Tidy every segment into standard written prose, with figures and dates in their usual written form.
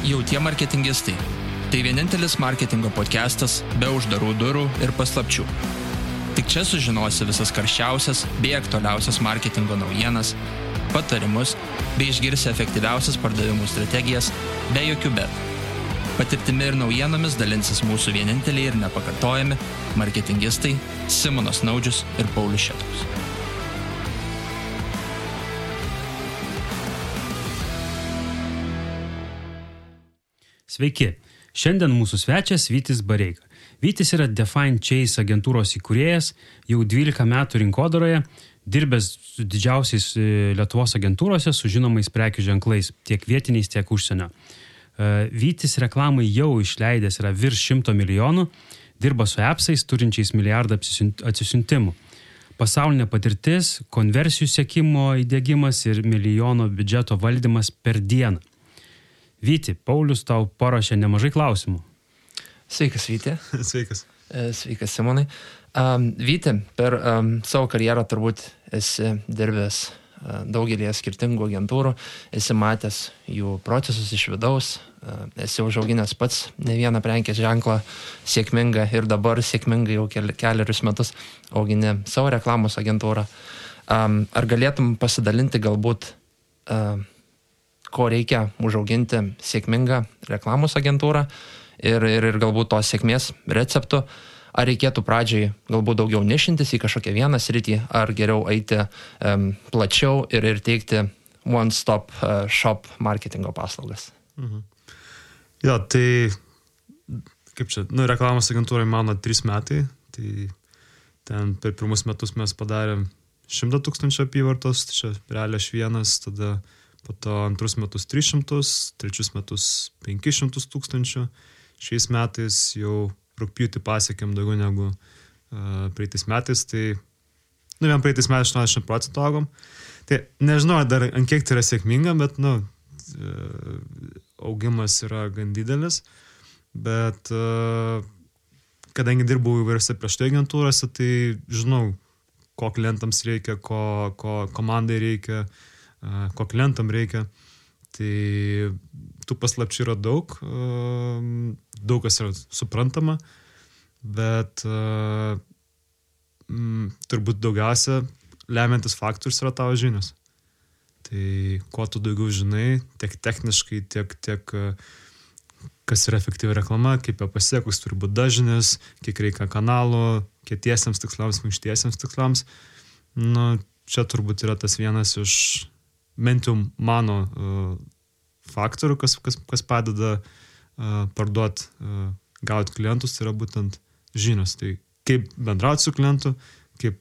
Jautie marketingistai. Tai vienintelis marketingo podcastas be uždarų durų ir paslapčių. Tik čia sužinosi visas karščiausias bei aktualiausias marketingo naujienas, patarimus bei išgirsi efektyviausias pardavimų strategijas be jokių bet. Patirtimi ir naujienomis dalinsis mūsų vieninteliai ir nepakartojami marketingistai Simonas Naudžius ir Paulius Šetkus. Sveiki, šiandien mūsų svečias Vytis Bareika. Vytis yra Define Chase agentūros įkūrėjas, jau 12 metų rinkodaroje, dirbęs su didžiausiais Lietuvos agentūrose su žinomais prekių ženklais, tiek vietiniais, tiek užsienio. Vytis reklamai jau išleidęs yra virš 100 milijonų, dirba su appsais turinčiais milijardą atsisiuntimų. Pasaulinė patirtis, konversijų sekimo įdiegimas ir milijono biudžeto valdymas per dieną. Vyti, Paulius tau paruošė nemažai klausimų. Sveikas, Vyti. Sveikas. Sveikas, Simonai. Vyti, per savo karjerą turbūt esi dirbęs daugelį skirtingų agentūrų, esi matęs jų procesus iš vidaus, esi užauginęs pats ne vieną prekės ženklą sėkmingą ir dabar sėkmingai jau kelerius metus augini savo reklamos agentūrą. Ar galėtum pasidalinti galbūt ko reikia užauginti sėkmingą reklamos agentūrą ir galbūt tos sėkmės receptų, ar reikėtų pradžiai galbūt daugiau nišintis į kažkokią vieną sritį, ar geriau eiti plačiau ir teikti one-stop shop marketingo paslaugas. Mhm. Jo, tai kaip čia, reklamos agentūrai mano 3 metai, tai ten per pirmus metus mes padarėm 100 000 apyvartos, tai čia realiai aš vienas, tada po to antrus metus 300, trečius metus 500 000. Šiais metais jau rugpjūtį pasiekėm daugiau negu praeitais metais, tai vien praeitais metais 80% augom. Tai nežinau, dar ant kiek tai yra sėkminga, bet augimas yra gan didelis, bet kadangi dirbau įvairiose prieš tai agentūrose, tai žinau, ko klientams reikia, ko komandai reikia, ko klientam reikia, tai tų paslapčių yra daug kas yra suprantama, bet turbūt daugiausia lemiantis faktorius yra tavo žinios. Tai kuo tu daugiau žinai, tiek techniškai, tiek kas yra efektyvi reklama, kaip ją pasiekus, turi būti dažnis, kiek reikia kanalų, kietiesiems tikslams, minkštiesiems tikslams. Čia turbūt yra tas vienas iš bent jau mano faktorių, kas padeda parduoti, gauti klientus, tai yra būtent žinios. Tai kaip bendrauti su klientu, kaip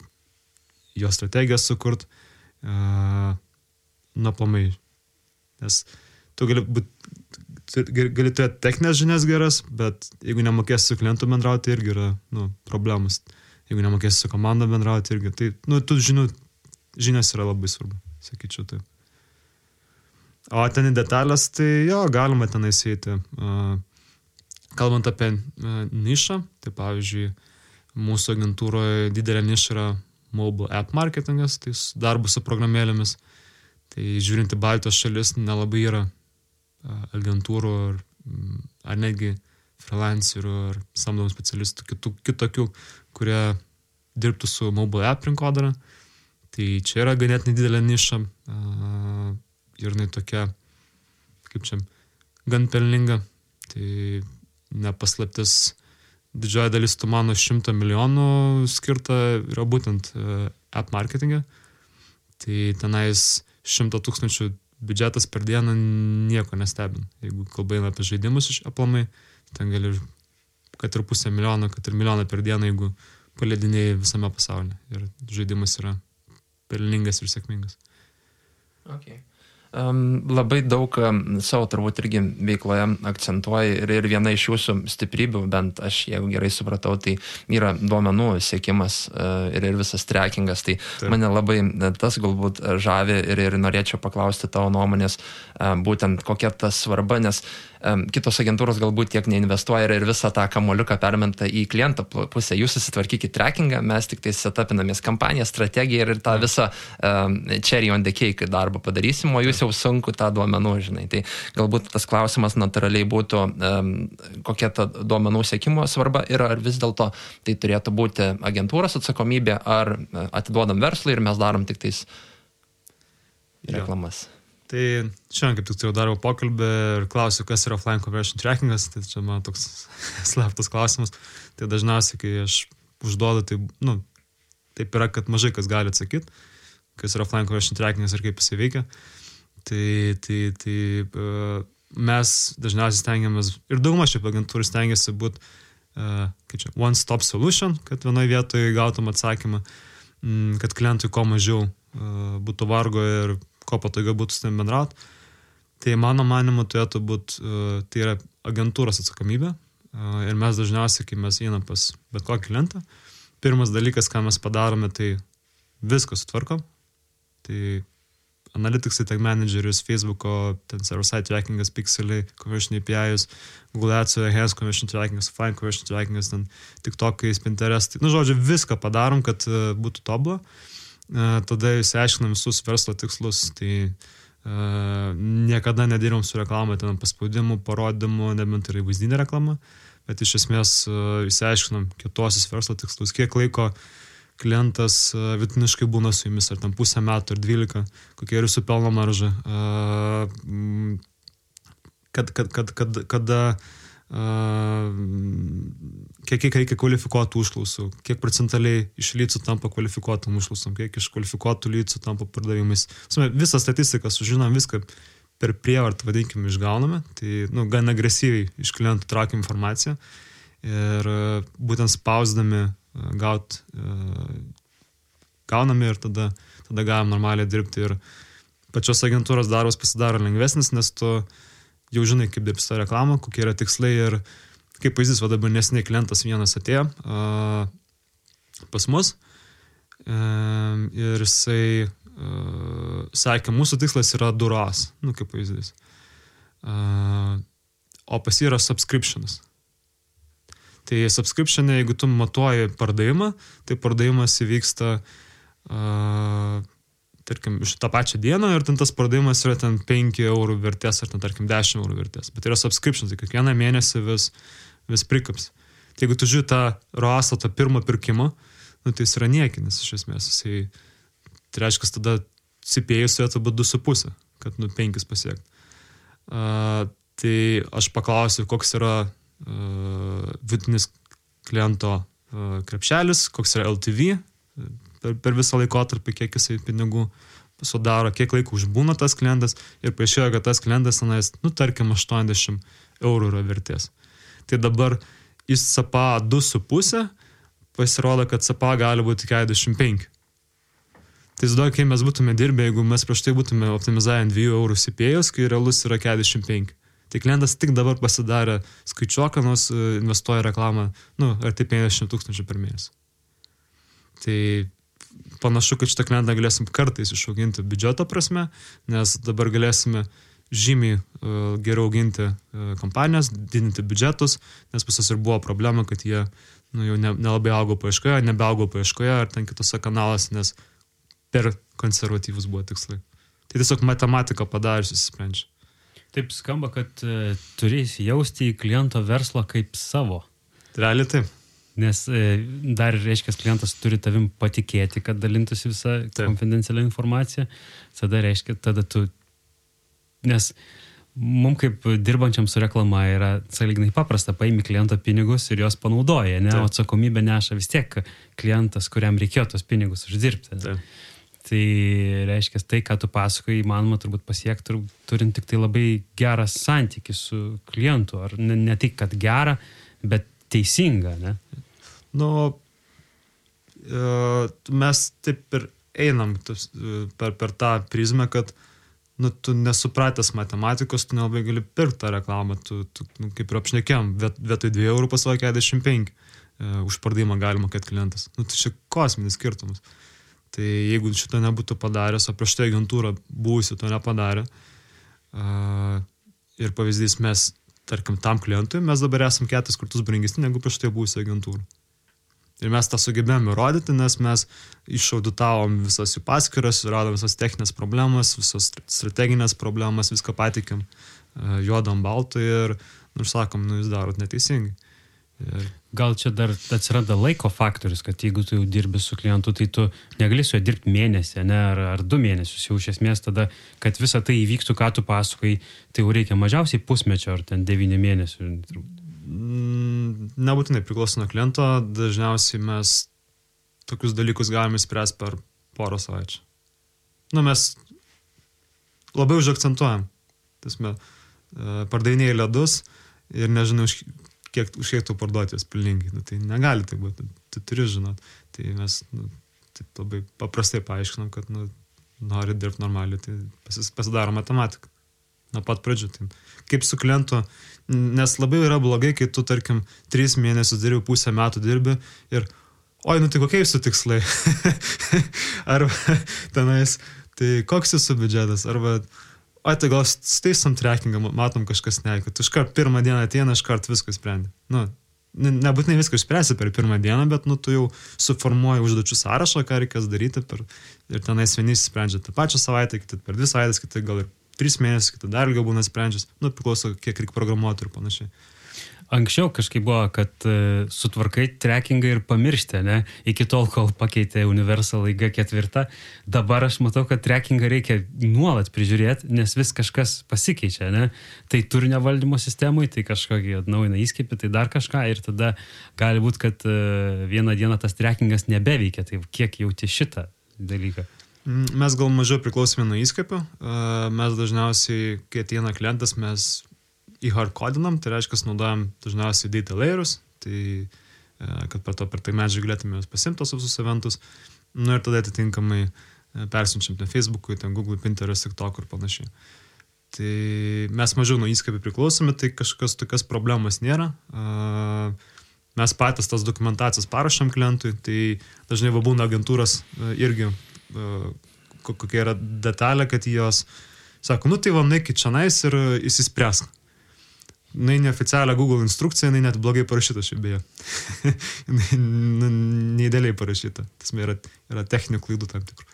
jo strategiją sukurt, aplamai. Nes tu gali turėti techninės žinias geras, bet jeigu nemokėsi su klientu bendrauti, irgi yra problemas. Jeigu nemokėsi su komanda bendrauti, irgi. Tai tų žinios yra labai svarbu, sakyčiau taip. O ten į detalės, tai galima ten įsėti. Kalbant apie nišą, tai pavyzdžiui, mūsų agentūroje didelė niša yra mobile app marketingas, tai darbas su programėlėmis. Tai žiūrint į Baltijos šalis, nelabai yra agentūrų ar netgi freelancerių ar samdomų specialistų kitokių, kurie dirbtų su mobile app rinkodara. Tai čia yra ganėtinai didelė niša. Ir jinai tokia, kaip čia, gan pelninga. Tai nepaslaptis, didžioji dalis tų mano 100 milijonų skirta yra būtent app marketingė. Tai tenais 100 000 biudžetas per dieną nieko nestebina. Jeigu kalba eina apie žaidimus iš aplamai, ten gali kad ir 500 000, kad ir 1 milijoną per dieną, jeigu paleidinėjai visame pasaulyje. Ir žaidimas yra pelningas ir sėkmingas. Okay. Labai daug savo turbūt irgi veikloje akcentuoja ir viena iš jūsų stiprybių, bent aš jeigu gerai supratau, tai yra duomenų siekimas ir visas trackingas. Tai mane labai tas galbūt žavi ir norėčiau paklausti tavo nuomonės, būtent kokia ta svarba, nes kitos agentūros galbūt tiek neinvestuoja ir visą tą kamuoliuką permenta į kliento pusę. Jūs susitvarkykit trackingą, mes tik tai setupinamės kampaniją, strategiją ir tą visą cherry on the cake darbą padarysim, o jūs bus jau sunku tą duomenų, žinai. Tai galbūt tas klausimas natūraliai būtų, kokia ta duomenų sekimo svarba ir ar vis dėlto tai turėtų būti agentūros atsakomybė, ar atiduodam verslui ir mes darom tik tais reklamas. Tai šiandien kaip tik turėjau darbo pokalbį ir klausiu, kas yra offline conversion trackingas, tai čia man toks slaptas klausimas. Tai dažniausiai, kai aš užduodu, tai, taip yra, kad mažai kas gali atsakyti, kas yra offline conversion trackingas ir kaip jisai veikia. Tai mes dažniausiai stengiamės, ir dauguma šiaip agentūrų stengiasi būti one-stop solution, kad vienoje vietoje gautum atsakymą, kad klientui kuo mažiau būtų vargo ir ko patogiau būtų su tavim bendrauti. Tai mano manimu turėtų būti, tai yra agentūros atsakomybė. Ir mes dažniausiai, kai mes einam pas bet kokį klientą, pirmas dalykas, ką mes padarome, tai viską sutvarkom. Tai analyticsai, tag managerius, Facebook'o, ten server-side trackingas, Pixeliai, conversion API'us, Google Ads, Enhanced conversion trackingas, Offline conversion trackingas, ten TikTok'ais, Pinterest. Žodžiu, viską padarom, kad būtų tobula. Tada išsiaiškinam visus verslo tikslus, tai niekada nedirbam su reklama, ten paspaudimų, parodymų, nebent yra vaizdinė reklama, bet iš esmės išsiaiškinam kitosius verslo tikslus, kiek laiko klientas vidutiniškai būna su jumis, ar ten pusę metų, ar 12, kokia yra jūsų pelno marža, kada kiek reikia kvalifikuotų užklausų, kiek procentaliai iš lydų tampa kvalifikuotam užklausom, kiek iš kvalifikuotų lydų tampa pardavimais. Visą statistiką sužinom, viską per prievartą, vadinkime, išgauname, tai gan agresyviai iš klientų traukiam informaciją ir būtent spausdami gauname ir tada galim normaliai dirbti ir pačios agentūros darbas pasidaro lengvesnis, nes tu jau žinai, kaip dirbs tą reklamą, kokie yra tikslai ir kaip pavyzdys, dabar neseniai klientas vienas atėjo pas mus ir jisai sakė, mūsų tikslas yra duros, kaip pavyzdys. O pas jį yra subscriptionas. Tai subscriptionė, jeigu tu matuoji pardavimą, tai pardavimas įvyksta tarkim, iš tą pačią dieną ir ten tas pardavimas yra ten 5 eurų vertės ar ten, tarkim, 10 eurų vertės. Bet yra subscription, tai kiekvieną mėnesį vis prikaps. Tai jeigu tu žiūri tą ROAS, tą pirmą pirkimą, tai jis yra niekinis iš esmės. Tai reiškia, tada CPA turėtų būti 2,5, kad 5 pasiekti. Tai aš paklausiu, koks yra vidutinis kliento krepšelis, koks yra LTV, per visą laikotarpį, kiek jisai pinigų sudaro, kiek laiko užbūna tas klientas ir paaiškėjo, kad tas klientas, tarkim, 80 eurų yra vertės. Tai dabar iš CPA 2,5 pasirodo, kad CPA gali būti 45. Tai tada, kai mes būtume dirbę, jeigu mes prieš tai būtume optimizavę 2 eurų CPA'us, kai realus yra 45. Tai klientas tik dabar pasidarė skaičiuoką, nors investuoja reklamą, arti 50 000 per mėnesį. Tai panašu, kad šitą klientą galėsim kartais išauginti biudžeto prasme, nes dabar galėsime žymiai geriau auginti kompanijas, didinti biudžetus, nes pas jas ir buvo problema, kad jie jau nelabai augo paieškoje, nebeaugo paieškoje ar ten kitose kanaluose, nes per konservatyvus buvo tikslai. Tai tiesiog matematika padarius įsisprendžia. Taip skamba, kad turi įsijausti į kliento verslą kaip savo. Realiai taip. Nes dar, reiškia, klientas turi tavim patikėti, kad dalintųsi visą konfidencialią informaciją. Tada tu... Nes mums kaip dirbančiam su reklama yra sąlyginai paprasta, paimi kliento pinigus ir jos panaudoja, ne? O atsakomybę neša vis tiek klientas, kuriam reikėjo tos pinigus uždirbti. Tai reiškia, tai, ką tu pasakoji, įmanoma turbūt pasiekti, turint tik tai labai gerą santykį su klientu. Ar ne tik, kad gerą, bet teisinga, ne? Mes taip ir einam per tą prizmę, kad tu nesupratęs matematikos, tu nelabai gali pirkti tą reklamą, tu kaip ir apšnekėjom, vietoj 2 eurų pasako 45 už pardavimą gali mokėti klientas. Tai čia kosminis skirtumas. Tai jeigu šito nebūtų padaręs, o prieš tai agentūra buvusi to nepadarė, ir pavyzdys mes, tarkim, tam klientui, mes dabar esam 4 kartus brangesni negu prieš tai buvusi agentūra. Ir mes tą sugebėjome įrodyti, nes mes išauditavom visas jų paskyras, radom visas techninės problemas, visas strateginės problemas, viską patikėm juodam baltui ir, sakom, jūs darot neteisingai. Ir gal čia dar atsiranda laiko faktorius, kad jeigu tu jau dirbi su klientu, tai tu negali su juo dirbti mėnesį, ne, ar 2 mėnesius, jau iš esmės tada, kad visa tai įvyktų, ką tu pasakai, tai jau reikia mažiausiai pusmečio ar ten 9 mėnesių. Nebūtinai priklauso nuo kliento, dažniausiai mes tokius dalykus galime spręsti per porą savaičių. Mes labai užakcentuojam, pardavinėjai ledus ir nežinau, už kiek tu parduotės pilningai. Tai negali tai būti, tu turi žinot. Tai mes taip labai paprastai paaiškinam, kad nori dirbti normaliai, tai pasidaro matematika. Nuo pat pradžių. Tai kaip su klientu, nes labai yra blogai, kai tu, tarkim, 3 mėnesius dirbi, pusę metų dirbi ir tai kokie jūsų tikslai? Arba tenais, tai koks jūsų biudžetas? Arba tai gal steisom trackingą, matom kažkas neaišku. Tu iškart pirmą dieną ateina, iškart viską sprendi. Nebūtinai viską išspręsi per pirmą dieną, bet tu jau suformuoji užduočių sąrašą, ką reikės daryti ir tenais vieni sprendžia tą pačią savaitę, kiti per 2 savaitės, kiti gal ir 3 mėnesius, kiti dar ilgiau būna sprendžias. Priklauso, kiek reikia programuoti ir panašiai. Anksčiau kažkaip buvo, kad sutvarkai trackingą ir pamiršti, ne? Iki tol, kol pakeitė Universal G4. Dabar aš matau, kad trackingą reikia nuolat prižiūrėti, nes vis kažkas pasikeičia, ne? Tai turinio valdymo sistemui, tai kažkokį atnaujina įskipį, tai dar kažką ir tada gali būti, kad vieną dieną tas trackingas nebeveikia. Tai kiek jauti šitą dalyką? Mes gal mažiau priklausome nuo įskipio. Mes dažniausiai, kai ateina klientas, mes hardcodinam, tai reiškia, naudojam dažniausiai data layerus, tai kad per tai medžiagą galėtume pasimti tos visus eventus, ir tada atitinkamai persiunčiam ten Facebook'ui, ten Google, Pinterest, TikTok ir panašiai. Tai mes mažiau nuo įskapį priklausome, tai kažkas tokias problemas nėra. Mes patys tas dokumentacijas parašam klientui, tai dažnai būna agentūros irgi kokia yra detalė, kad jos sako, tai nueikit čionais ir įsispręsk. Neoficialią Google instrukciją, net blogai parašyta šiaip beje. Neįdėliai parašyta. Tas yra techninių klaidų tam tikrų.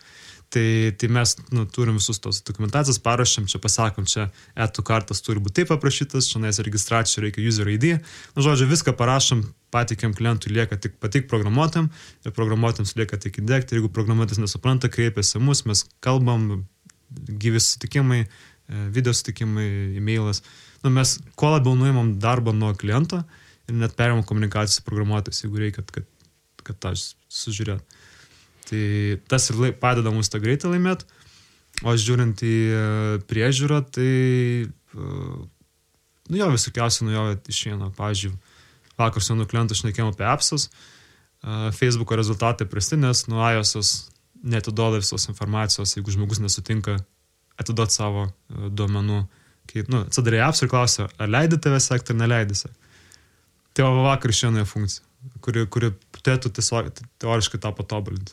Tai mes turim visus tos dokumentacijas, parašėm, čia pasakom, čia etų kartas turi būti taip aprašytas, čia registracijų reikia user ID. Žodžiu, viską parašom, patikiam klientui, lieka tik patik programuotam ir programuotams lieka tik įdėkti. Jeigu programuotas nesupranta, kreipiasi mus, mes kalbam, gyvi sutikimai, video sutikimai, e-mailas. Mes kuo labiau nuimam darbą nuo kliento ir net perimam komunikaciją su programuotojais, jeigu reikia, kad tą sužiūrėt. Tai tas ir padeda mums tą greitą laimėti, o žiūrint į priežiūrą, tai visokiausiai nuo jo išeina. Pavyzdžiui, vakar su vienu klientu šnekėjom apie appsus, Facebooko rezultatai prasti, nes iOS neatiduoda visos informacijos, jeigu žmogus nesutinka atiduoti savo duomenų. Kai atsidarė apps ir klausia, ar leidi tave sekti ar neleidi sekti. Tai vakar išėjo funkcija, kuri turėtų tiesiog teoriškai tą patobulinti.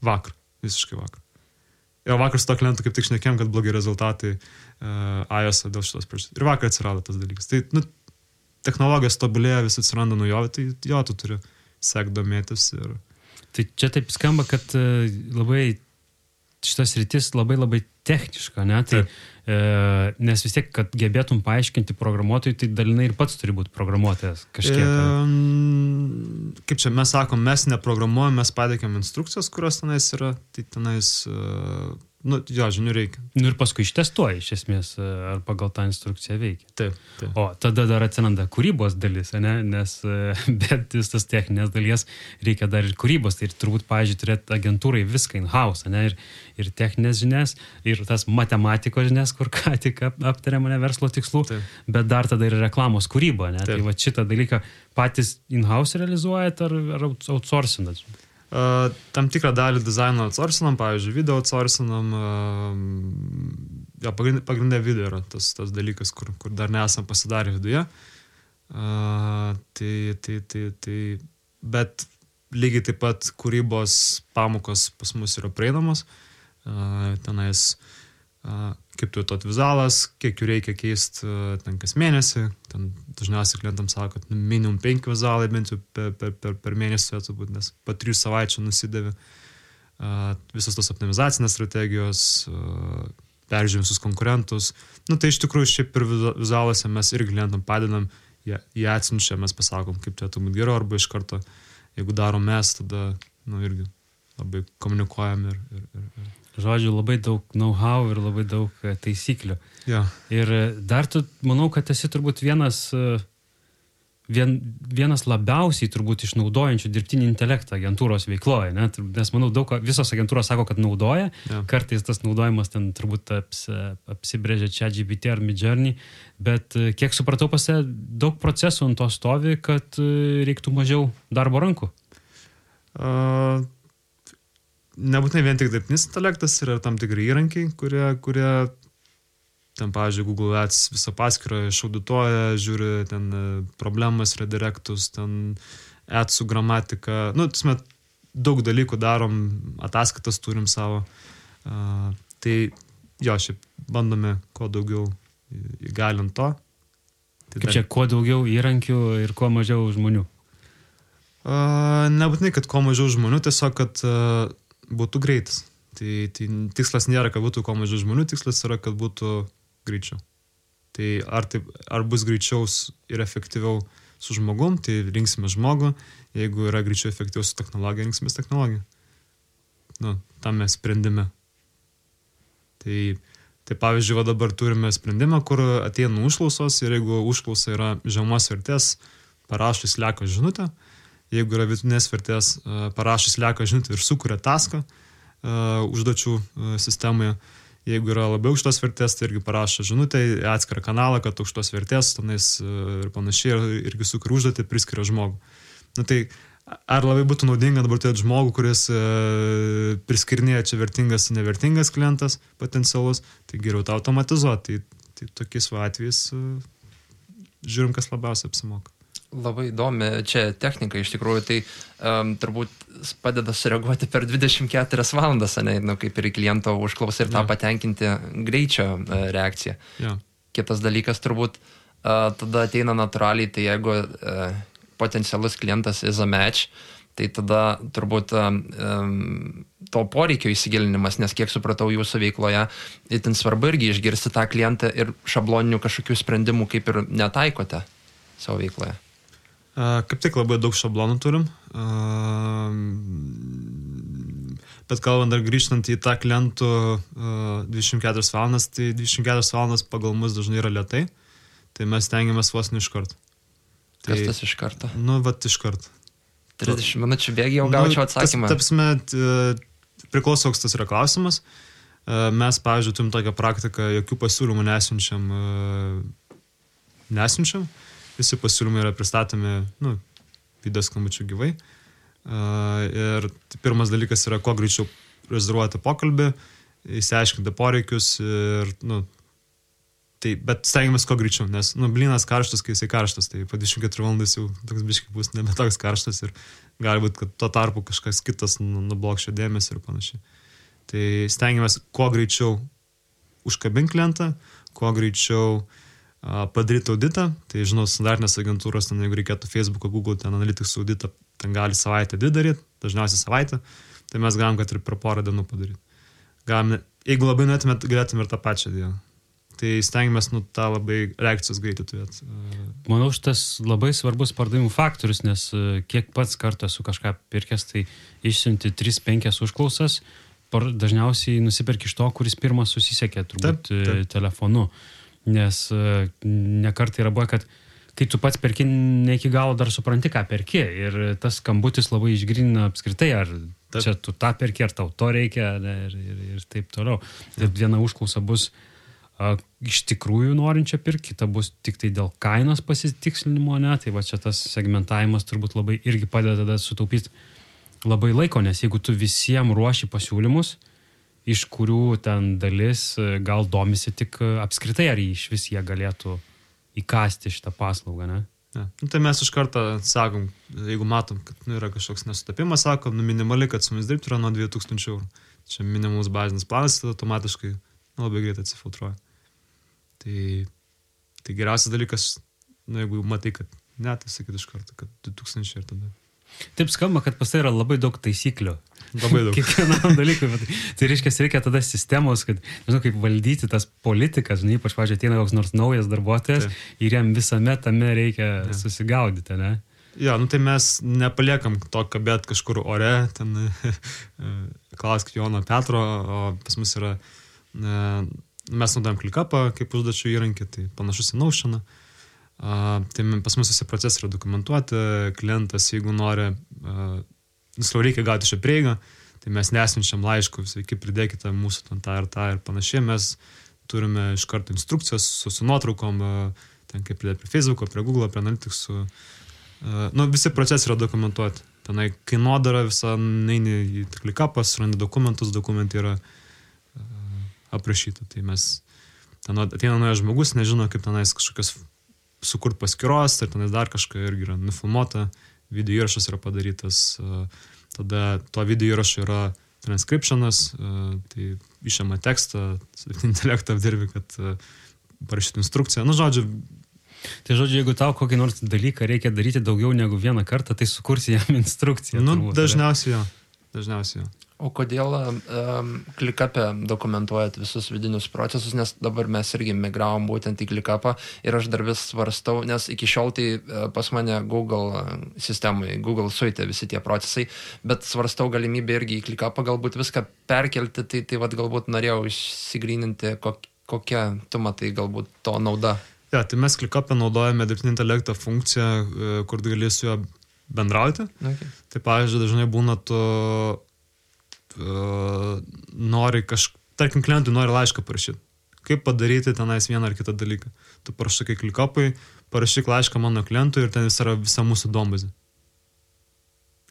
Vakar, visiškai vakar. Ir vakar su to klientu kaip tik šnekėjom, kad blogi rezultatai iOS dėl šitos priežasties. Ir vakar atsirado tas dalykas. Tai technologijos tobulėja, vis atsiranda naujovė, tai jo, tu turi sekti domėtis. Ir... Tai čia taip skamba, kad labai šitas rytis labai techniška, ne? Tai, nes vis tiek, kad gebėtum paaiškinti programuotojui, tai dalinai ir pats turi būti programuotojas kažkiek. Kaip čia mes sakom, mes neprogramuojam, mes pateikėm instrukcijas, kurios tenais yra, tai tenais, žinių reikia. Ir paskui ištestuoji, iš esmės, ar pagal tą instrukciją veikia. Taip. O tada dar atsiranda kūrybos dalis, ne? Nes bet tas techninės dalies reikia dar ir kūrybos, tai ir turbūt, pavyzdžiui, turėti agentūrai viską in-house, ne? Ir techninės žinias, ir tas matematikos žinias, kur ką tik aptarėm, ne, verslo tikslų, bet dar tada ir reklamos kūryba, ne? Tai va šitą dalyką patys in-house realizuojat ar outsourcinat? Tam tikrą dalį dizaino outsourcinam, pavyzdžiui, video outsourcinam, pagrindė video yra tas dalykas, kur dar nesam pasidarę viduje. Bet lygiai taip pat kūrybos pamokos pas mus yra prieinamos. Tenais kaip tu to vizualas, kiek jų reikia keisti ten kas mėnesį. Ten dažniausiai klientams sako, kad minimum 5 vizualai bent jau per mėnesį turėtų būti, nes po 3 savaičių nusidėvi. Visos tos optimizacinės strategijos, peržiūrim visus konkurentus. Tai iš tikrųjų šiaip ir vizualuose mes ir klientam padedam, jie atsinčia, mes pasakom, kaip turėtų būti geriau, arba iš karto, jeigu darom mes, tada irgi labai komunikuojam ir. Žodžiu, labai daug know-how ir labai daug taisyklių. Ja. Ir dar tu, manau, kad esi turbūt vienas labiausiai turbūt išnaudojančių dirbtinį intelektą agentūros veikloje, ne? Nes manau, visos agentūros sako, kad naudoja, kartais tas naudojimas ten turbūt apsibrėžia ChatGPT ar Midjourney, bet kiek supratau, daug procesų ant to stovi, kad reiktų mažiau darbo rankų. Nebūtinai vien tik dirbtinis intelektas, yra tam tikri įrankiai, kurie ten, pavyzdžiui, Google Ads visą paskyrą išaudituoja, žiūri ten problemas, redirectus, ten adsų gramatiką. Daug dalykų darom, ataskaitas turim savo. Tai šiaip bandome kuo daugiau įgalint to. Kaip čia, kuo daugiau įrankių ir kuo mažiau žmonių? Nebūtinai, kad kuo mažiau žmonių, tiesiog, kad būtų greitas. Tai tikslas nėra, kad būtų kuo mažiau žmonių, tikslas yra, kad būtų greičiau. Tai ar bus greičiau ir efektyviau su žmogum, tai rinksime žmogų, jeigu yra greičiau efektyviau su technologija, rinksime technologiją. Tam mes sprendime. Tai pavyzdžiui, dabar turime sprendimą, kur ateina užklausos ir jeigu užklausa yra žemos vertės, parašus Slack žinutę. Jeigu yra vidutinės vertės, parašys Slack žinutę ir sukuria taską užduočių sistemoje. Jeigu yra labiau aukštos vertės, tai irgi parašo žinutę į atskirą kanalą, kad aukštos vertės, tenais ir panašiai, irgi sukuria užduotį, priskiria žmogų. Tai ar labai būtų naudinga dabar turėti žmogų, kuris priskirinėja čia vertingas, nevertingas klientas potencialus, tai geriau tą automatizuoti. Tai tokiais atvejais žiūrim, kas labiausiai apsimoka. Labai įdomi čia technika iš tikrųjų, tai turbūt padeda sureaguoti per 24 valandas, kaip ir kliento užklausą ir tą patenkinti greičio reakciją. Ja. Kitas dalykas turbūt tada ateina natūraliai, tai jeigu potencialus klientas is a match, tai tada turbūt to poreikio įsigilinimas, nes kiek supratau jūsų veikloje, itin svarbu irgi išgirsti tą klientą ir šabloninių kažkokių sprendimų kaip ir netaikote savo veikloje. Kaip tik labai daug šablonų turim, bet kalbant dar grįžtant į tą klientų 24 valandas, tai 24 valandas pagal mus dažnai yra lėtai, tai mes tengiamės vos ne iš karto. Kas tas iš karto? Iš karto. 30 minučių bėgi jau gaučiau atsakymą. Tapsime, priklauso, koks tas yra klausimas. Mes, pavyzdžiui, turim tokią praktiką, jokių pasiūlymų nesiunčiam. Visi pasiūlymai yra pristatomi video skambučių gyvai. Ir pirmas dalykas yra, kuo greičiau rezervuoti pokalbį, įsiaiškinti poreikius ir, bet stengiamės kuo greičiau, nes, blynas karštas, kai jisai karštas, tai po 24 valandas jau toks biškai bus nebe toks karštas ir gali būti, kad tuo tarpu kažkas kitas nublokščia dėmesį ir panašiai. Tai stengiamės kuo greičiau užkabinti klientą, kuo greičiau padaryti auditą, tai žinau, standartinės agentūros, ten, jeigu reikėtų Facebook'o, Google, ten Analytics auditą, ten gali savaitę daryti, dažniausiai savaitę, tai mes galim, kad ir per porą dienų padaryti. Jeigu labai norėtumėt, galėtume ir tą pačią dieną. Tai stengiamės tą labai reakcijos greitį turėti. Manau, šitas labai svarbus pardavimų faktorius, nes kiek pats kartą esu kažką pirkęs, tai išsiunti 3-5 užklausas, dažniausiai nusiperki iš to, kuris pirmas susisiekė, turbūt taip. Telefonu. Nes nekartai yra buvo, kad kai tu pats perki, ne iki galo dar supranti, ką perki. Ir tas skambutis labai išgrynina apskritai, ar čia tu tą perki, ar tau to reikia, ir taip toliau. Tai viena užklausa bus iš tikrųjų norinčia pirkti, kita bus tik tai dėl kainos pasitikslinimo, tai va čia tas segmentavimas turbūt labai irgi padeda sutaupyti labai laiko, nes jeigu tu visiems ruoši pasiūlymus, iš kurių ten dalis gal domisi tik apskritai, ar iš vis jie galėtų įkasti šitą paslaugą, ne? Ja. Tai mes iš karto sakom, jeigu matom, kad yra kažkoks nesutapimas, sakom, minimaliai, kad su mumis dirbti yra nuo 2000 €. Čia minimalus bazinis planas, tada automatiškai labai greit atsifiltruoja. Tai geriausias dalykas, jeigu matai, kad ne, tai sakyt iš karto, kad 2000 ir tada. Taip skamba, kad pas tai yra labai daug taisyklių. Labai daug. Kiekvienam dalykui. Tai reikia tada sistemos, kad, nežinau, kaip valdyti tas politikas, ypač, pavyzdžiui, ateina koks nors naujas darbuotojas ir jam visame tame reikia susigaudyti, ne? Ja, tai mes nepaliekam to kabėt kažkur ore, ten klausk Jono Petro, o pas mus yra, mes naudojam ClickUpą kaip užduočių įrankį, tai panašus į Notioną. Tai pas mus visi procesai yra dokumentuoti, klientas, jeigu nori, reikia gauti šią prieigą, tai mes nesinčiam laiškų, sveiki, pridėkite mūsų tą ir panašiai, mes turime iš karto instrukcijas su nuotraukom, ten kaip pridėti prie Facebook'o, prie Google'o, prie Analytics'ų, visi procesai yra dokumentuoti, tenai kainodara visą, neini į ClickUpą, surandi dokumentus, dokumentai yra aprašyti, tai mes, ten ateina naujas žmogus, nežino, kaip tenais kažkokios sukurt paskyros, ir tenais dar kažką irgi yra nufilmuota, video įrašas yra padarytas, tada to video įrašo yra transcriptionas, tai išėma tekstą, intelektą apdirbi, kad parašyti instrukciją. Žodžiu. Tai žodžiu, jeigu tau kokį nors dalyką reikia daryti daugiau negu vieną kartą, tai sukursi jam instrukciją. Dažniausiai jo. O kodėl ClickUp'e dokumentuojat visus vidinius procesus, nes dabar mes irgi migravom būtent į ClickUp'ą ir aš dar vis svarstau, nes iki šiol tai pas mane Google sistemai, Google Suite visi tie procesai, bet svarstau galimybę irgi į ClickUp'ą galbūt viską perkelti, tai vat galbūt norėjau išsigryninti, kokia tu matai galbūt to nauda. Ja, tai mes ClickUp'e naudojame dirbtinį intelektą funkciją, kur gali su juo bendrauti. Okay. Tai pavyzdžiui, dažnai būna tu nori tarkim, klientui nori laišką parašyti. Kaip padaryti tenais vieną ar kitą dalyką. Tu parašai ClickUp'ui, parašyk laišką mano klientui ir ten yra visa mūsų duombazė.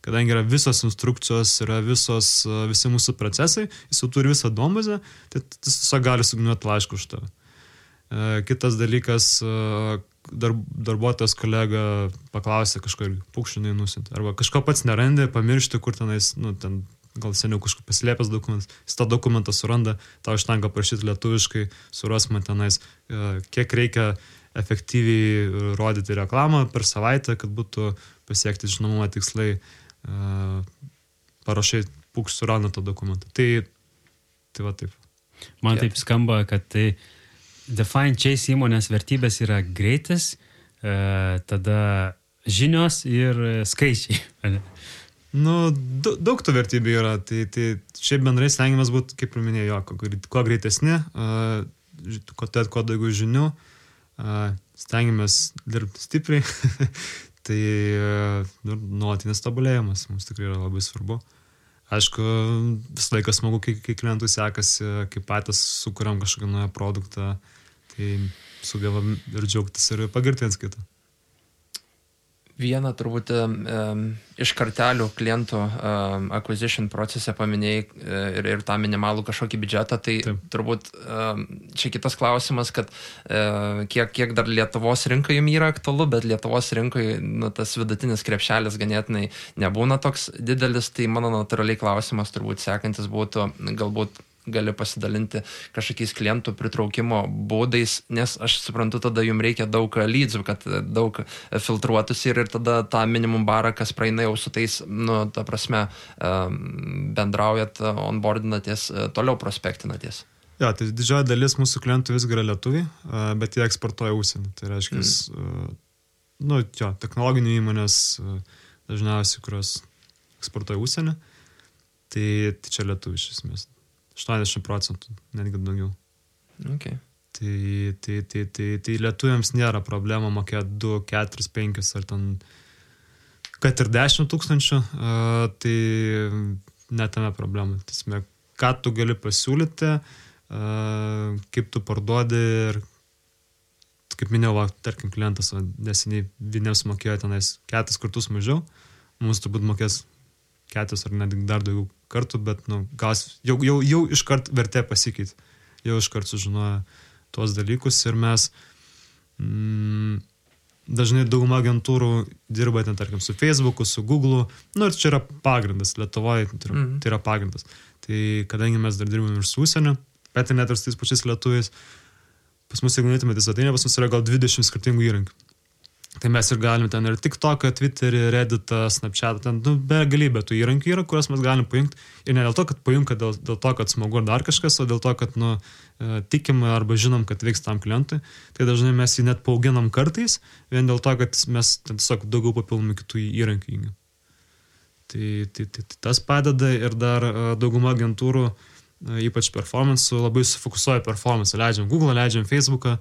Kadangi yra visos instrukcijos, yra visi mūsų procesai, jis jau turi visą duombazę, tai tiesiog gali sugniuoti laišką už tave. Kitas dalykas, darbuotojas kolega paklausė kažko ir pukšinai nusinti. Arba kažko pats nerandi, pamiršti, kur tenais, ten gal seniau kažkur paslėpęs dokumentas, jis tą dokumentą suranda, tau užtenka parašyti lietuviškai, suras man tenais, kiek reikia efektyviai rodyti reklamą per savaitę, kad būtų pasiekti žinomumą tikslai, parašai suranda tą dokumentą. Tai va taip. Man taip skamba, kad tai Define Chase įmonės vertybės yra greitis, tada žinios ir skaičiai. Daug tų vertybių yra, tai šiaip bendrai stengiamės būti, kaip ir minėjau, kuo greitesni, kuo daugiau žinių, stengiamės dirbti stipriai, tai nuolatinis tobulėjimas mums tikrai yra labai svarbu. Aišku, vis laikas smagu, kai klientų sekasi, kai patys sukuriam kažkokį naują produktą, tai sugebam ir džiaugtis ir pagirti ant kitą. Vieną turbūt iš kartelių klientų acquisition procese paminėjai ir tą minimalų kažkokį biudžetą, tai taip. Turbūt čia kitas klausimas, kad kiek dar Lietuvos rinkai jums yra aktualu, bet Lietuvos rinkai tas vidutinis krepšelis ganėtinai nebūna toks didelis, tai mano natūraliai klausimas turbūt sekantis būtų galbūt gali pasidalinti kažkokiais klientų pritraukimo būdais, nes aš suprantu, tada jums reikia daug leadsų, kad daug filtruotųsi ir tada tą minimum barą, kas praeina jau su tais, ta prasme, bendraujat, onboardinatės, toliau prospektinatės. Ja, tai didžioji dalis mūsų klientų visgi yra lietuviai, bet jie eksportuoja užsienį. Tai reiškia, technologinių įmonės dažniausiai, kurios eksportuoja užsienį, tai čia lietuviai iš esmės. 80%, netgi daugiau. Okay. Tai lietuviams nėra problema mokėti 2, 4, 5 ar ten, kad ir 10 000, tai netame problema. Tiesme, ką tu gali pasiūlyti, kaip tu parduodi ir, kaip minėjau, tarkim, klientas neseniai vieniems mokėjo tenais 4 kartus mažiau, mums turbūt mokės 4 ar netgi dar daugiau kartų, bet jau iškart vertė pasikeitė. Jau iškart sužinojo tuos dalykus ir mes dažnai dauguma agentūrų dirba ten, tarkim, su Facebook'u, su Google'u. Ir čia yra pagrindas. Lietuvoje tai yra pagrindas. Tai kadangi mes dar dirbame ir su užsieniu, bet net ir su tais pačiais lietuviais. Pas mus, jeigu neįtumėte svetainę, pas mus yra gal 20 skirtingų įrankių. Tai mes ir galim ten ir TikToką, Twitterį, Redditą, Snapchatą, ten begalybė tų įrankių yra, kuriuos mes galim pajungti. Ir ne dėl to, kad pajunka, dėl to, kad smagu ar dar kažkas, o dėl to, kad tikim arba žinom, kad veiks tam klientui. Tai dažnai mes jį net paauginam kartais, vien dėl to, kad mes tiesiog daugiau papildomų kitų įrankių įgim. Tai tas padeda ir dar dauguma agentūrų, ypač performance, labai sufokusuoja performance. Leidžiam Google, leidžiam Facebooką,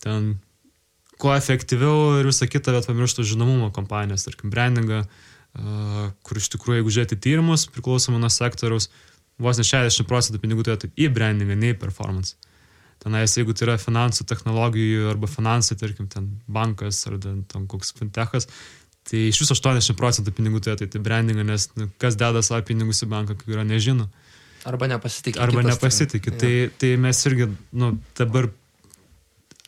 ten kuo efektyviau ir visą kitą, bet pamirštų žinomumo kompanijas, tarkim, brandingą, kur iš tikrųjų, jeigu žiūrėti tyrimus, priklausomai nuo sektoriaus, vos ne 60% pinigų turėtų į brandingą, ne į performance. Tenais, jeigu tai yra finansų technologijų arba finansai, tarkim, ten bankas ar ten koks fintechas, tai iš viso 80% pinigų turėtų į brandingą, nes kas deda savo pinigus į banką, kai yra nežino. Arba nepasitikė. Arba nepasitikė. Tai mes irgi dabar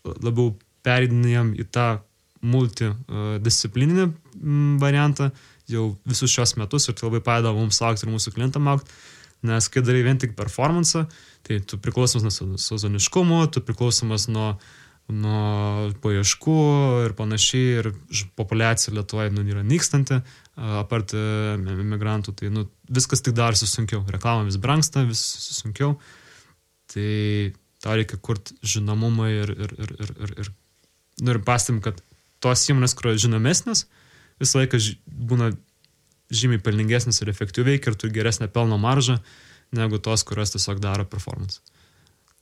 labiau pereidinėjom į tą multidisciplininį variantą jau visus šios metus ir tai labai padeda mums augti ir mūsų klientam augti, nes kai darai vien tik performance, tai tu priklausomas nuo sezoniškumo, tu priklausomas nuo paieškų ir panašiai ir populiacija Lietuvoje yra nykstanti, apart migrantų, tai viskas tik darosi sunkiau, reklama vis brangsta, vis sunkiau, tai tau reikia kurti žinomumą ir pastebim, kad tos įmonės, kurios žinomesnės, visą laiką būna žymiai pelningesnės ir efektyviai ir turi geresnę pelno maržą, negu tos, kurios tiesiog daro performance.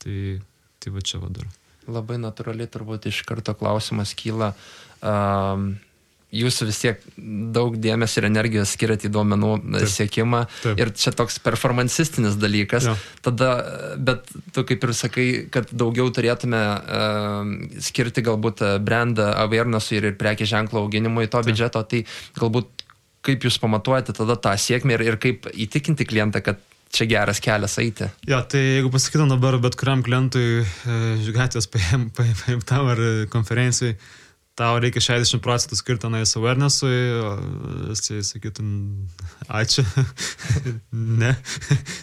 Tai va čia vadar. Labai natūraliai turbūt iš karto klausimas kyla. Jūs vis tiek daug dėmesio ir energijos skiriate į duomenų siekimą. Taip. Ir čia toks performancistinis dalykas. Ja. Tada, bet tu kaip ir sakai, kad daugiau turėtume skirti galbūt brand awarenessui ir prekės ženklo auginimui to biudžeto, tai galbūt kaip jūs pamatuojate tada tą sėkmę ir kaip įtikinti klientą, kad čia geras kelias eiti. Ja, tai jeigu pasakytum dabar bet kuriam klientui gatvės paimtam ar konferencijai, tau reikia 60% skirti tenais awarenessui, jisai sakytum, ačiū,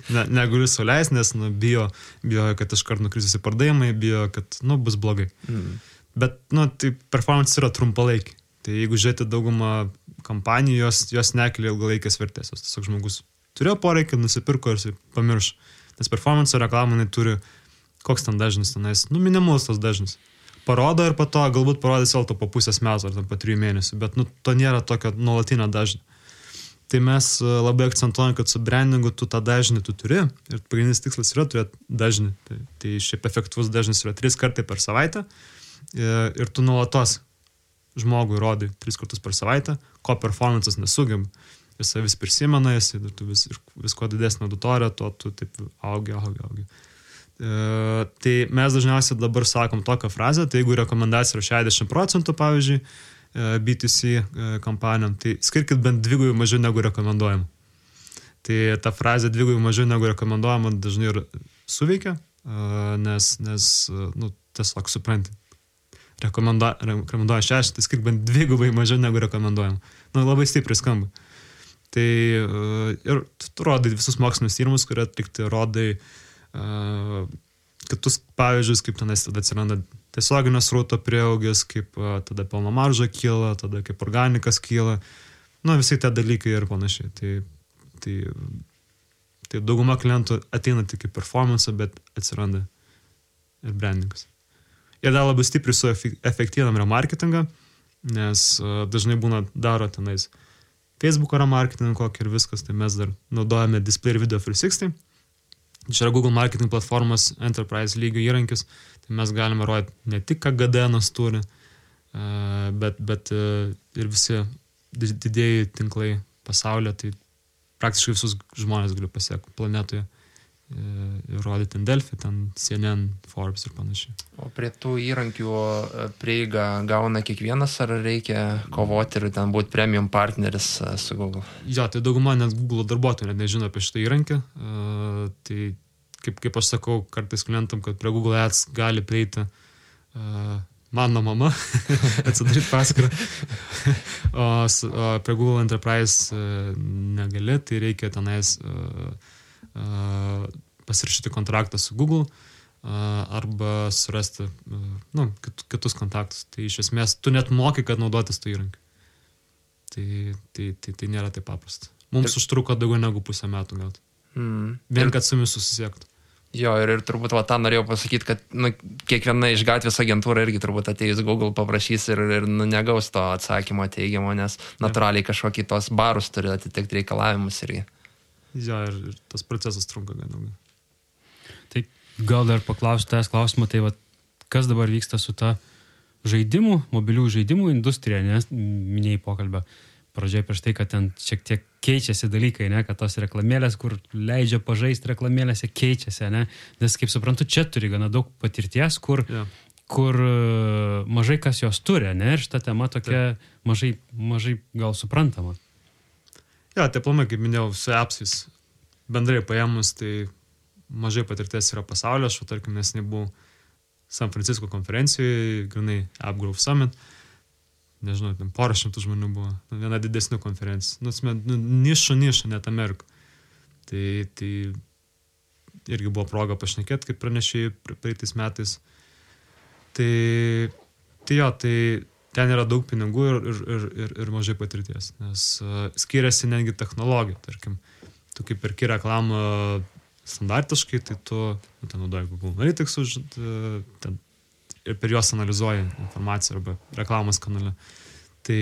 negaliu suleis, nes bijo, kad iškart nukrisis į pardavimai, bijo, kad bus blogai. Bet tai performance yra trumpalaikiai. Tai jeigu žiūrėti daugumą kampanijų, jos nekelia ilgalaikės vertės. Tiesiog žmogus turėjo poreikį, nusipirko ir pamiršo. Nes performance reklamai turi, koks ten dažnis tenais, minimalus tas dažnis. Parodo ir po to galbūt parodys vėl to po pusės metų ar po 3 mėnesių, bet to nėra tokio nuolatinio dažnio. Tai mes labai akcentuojam, kad su brandingu tu tą dažnį tu turi ir pagrindinis tikslas yra turėti dažnį. Tai šiaip efektyvus dažnis yra 3 kartai per savaitę ir tu nuolatos žmogui rodai 3 kartus per savaitę, ko performances nesugeba. Jis vis prisimena, ir tu vis kuo didesnė auditorija, to tu taip augi. Tai mes dažniausiai dabar sakom tokią frazę, tai jeigu rekomendacija yra 60%, pavyzdžiui, B2C kampanijom, tai skirkit bent 2 mažiau negu rekomenduojama. Tai ta frazė 2 mažiau negu rekomenduojama dažnai ir suveikia, nes tiesiog supranti. Rekomenduoja 6, tai skirk bent 2 mažiau negu rekomenduojama. Labai stipriai skamba. Tai ir tu rodai visus mokslinius tyrimus, kurie atlikti, rodai kitus pavyzdžius, kaip tenais tada atsiranda tiesioginio srauto prieaugis, kaip tada pelno marža kyla, tada kaip organikas kyla, visi tie dalykai ir panašiai. Tai dauguma klientų ateina tik į performance, bet atsiranda ir brandingas. Jie dar labai stipriai suefektyvinam remarketingą, nes dažnai daro tenais Facebook remarketing kokį ir viskas, tai mes dar naudojame Display ir Video 360. Čia yra Google marketing platformos enterprise lygio įrankis, tai mes galime rodyti ne tik, ką GDN-as turi, bet ir visi didėjai tinklai pasaulyje, tai praktiškai visus žmonės galiu pasiekti planetoje ir rodyti Delfi, ten CNN, Forbes ir panašiai. O prie tų įrankių prieigą gauna kiekvienas, ar reikia kovoti ir ten būti premium partneris su Google? Jo, tai dauguma net Google darbuotojų net nežino apie šitą įrankį. Tai kaip aš sakau kartais klientam, kad prie Google Ads gali prieiti mano mama, atsidaryti paskyrą, o prie Google Enterprise negali, tai reikia tenais pasirašyti kontraktą su Google arba surasti kitus kontaktus. Tai iš esmės tu net moki, kad naudotis to įrankiu. Tai nėra taip paprasta. Mums užtruko daugiau negu 1,5 metų gauti. Vien, kad su mumis susisiektų. Jo, ir turbūt tą norėjau pasakyti, kad kiekviena iš gatvės agentūra irgi turbūt atėjus Google paprašys ir negaus to atsakymo teigiamo, nes natūraliai kažkokį tos barus turi atitikti reikalavimus irgi. Jo, ir tas procesas trunka gan ilgai. Tai gal dar paklausiu tavęs klausimą, tai kas dabar vyksta su ta žaidimų, mobilių žaidimų industrija, nes minėjai pokalbę pradžioje prieš tai, kad ten šiek tiek keičiasi dalykai, ne, kad tos reklamėlės, kur leidžia pažaisti reklamėlėse, keičiasi, ne, nes kaip suprantu, čia turi gana daug patirties, kur mažai kas jos turi, ne, ir šita tema tokia mažai gal suprantama. Ja, tai planai, kaip minėjau, su appsais bendrai paėmus, tai mažai patirties yra pasaulio, aš tarkim, nes nebuvau San Francisco konferencijoje, grinai AppGrowth Summit, nežinau, ten 400 žmonių buvo, viena didesnių konferencijų, nišų, net Amerikų. Tai irgi buvo proga pašnekėti, kaip pranešėjai praeitais metais. Tai ten yra daug pinigų ir mažai patirties, nes skiriasi netgi technologija, tarkim, tu kaip perki reklamą standartiškai, tai tu ten naudoji Google Analytics ir per juos analizuoji informaciją arba reklamos kanale. Tai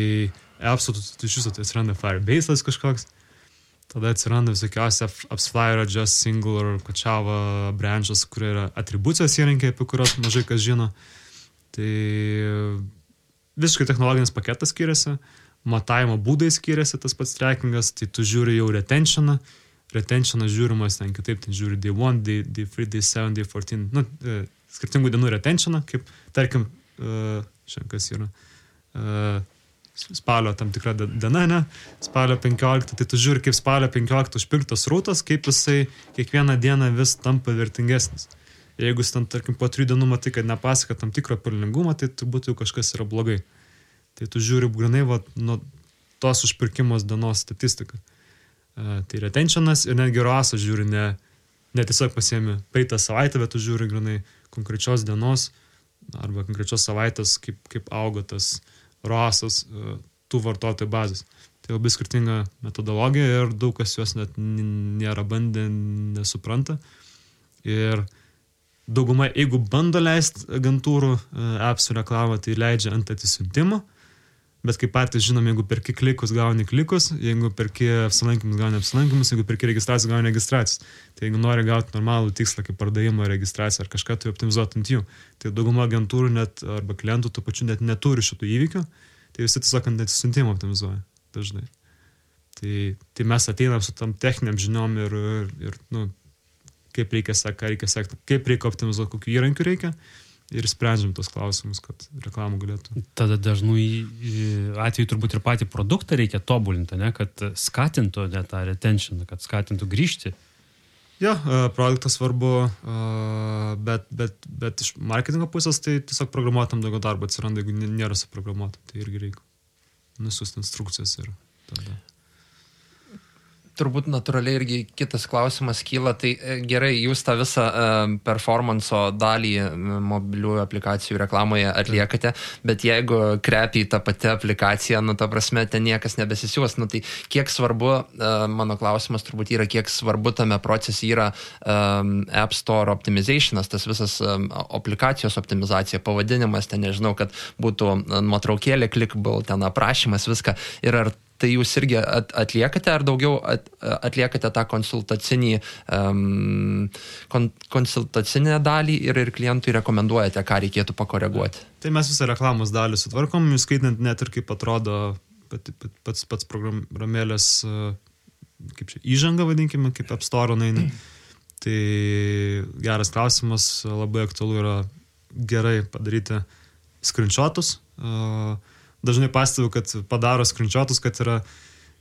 appsų tu iš viso atsiranda Firebase'as kažkoks, tada atsiranda visokiausi AppsFlyer, Just Single ar Kochava branches, kurie yra atribucijos įrankiai, apie kurios mažai kas žino. Tai visiškai technologinis paketas skiriasi, matavimo būdai skiriasi, tas pats trackingas, tai tu žiūri jau retentioną žiūrimas ten kitaip, ten žiūri day 1, day 3, day 7, day 14, skirtingų dienų retentioną, kaip, tarkim, šiandien kas yra, spalio tam tikra diena, ne, spalio 15, tai tu žiūri, kaip spalio 15 užpirktas rautas, kaip jisai kiekvieną dieną vis tampa vertingesnis. Jeigu jis tam, tarkim, po 3 dienų matai, kad nepasiekia tam tikro pelningumą, tai turbūt jau kažkas yra blogai. Tai tu žiūri grinai nuo tos užpirkimos dienos statistiką. Tai retentionas ir netgi ROAS žiūri, ne tiesiog pasiemi praeitą savaitę, bet tu žiūri grinai konkrečios dienos arba konkrečios savaitės, kaip auga tas ROASas tų vartotojų bazės. Tai labai skirtinga metodologija ir daug kas jos net nėra bandę, nesupranta. Ir dauguma, jeigu bando leisti agentūrų appsų reklamą, tai leidžia ant atsisiuntimo, bet kaip patys žinom, jeigu perki klikus, gauni klikus, jeigu perki apsilankymus, gauni apsilankymus, jeigu perki registraciją, gauni registracijos. Tai jeigu nori gauti normalų tikslą, kaip pardavimo registraciją ar kažką, tai optimizuoti ant jų. Tai dauguma agentūrų net, arba klientų tų pačių net neturi šitų įvykių, tai visi tiesiog ant atsisiuntimo optimizuoja dažnai. Tai mes ateinam su tam techniniam žiniom ir kaip reikia sekti, kaip reikia optimizuoti, kokių įrankių reikia. Ir sprendžiam tos klausimus, kad reklamų galėtų. Tada dažnų atveju turbūt ir patį produktą reikia tobulinti, ne? Kad skatintų tą retention, kad skatintų grįžti. Jo, produktas svarbu, bet iš marketingo pusės tai tiesiog programuotam daugiau darbo atsiranda, jeigu nėra suprogramuota, tai irgi reikia nusiųsti instrukcijas ir tada. Turbūt natūraliai irgi kitas klausimas kyla, tai gerai, jūs tą visą performanso dalį mobiliųjų aplikacijų reklamoje atliekate, bet jeigu krepiai tą patį aplikaciją, ta prasme, ten niekas nebesisiūs, tai kiek svarbu, mano klausimas turbūt yra, kiek svarbu tame procese yra App Store optimizationas, tas visas aplikacijos optimizacija, pavadinimas, ten nežinau, kad būtų nuotraukėlė, clickable, ten aprašymas, viską, ir ar tai jūs irgi atliekate, ar daugiau atliekate tą konsultacinę dalį ir klientui rekomenduojate, ką reikėtų pakoreguoti? Tai mes visą reklamos dalį sutvarkom, skaitant net ir kaip atrodo pats programėlės, kaip čia, įžanga vadinkime, kaip App Store naina. Tai geras klausimas, labai aktualu yra gerai padaryti screenshotus. Dažnai pastebiu, kad padaro screenshotus, kad yra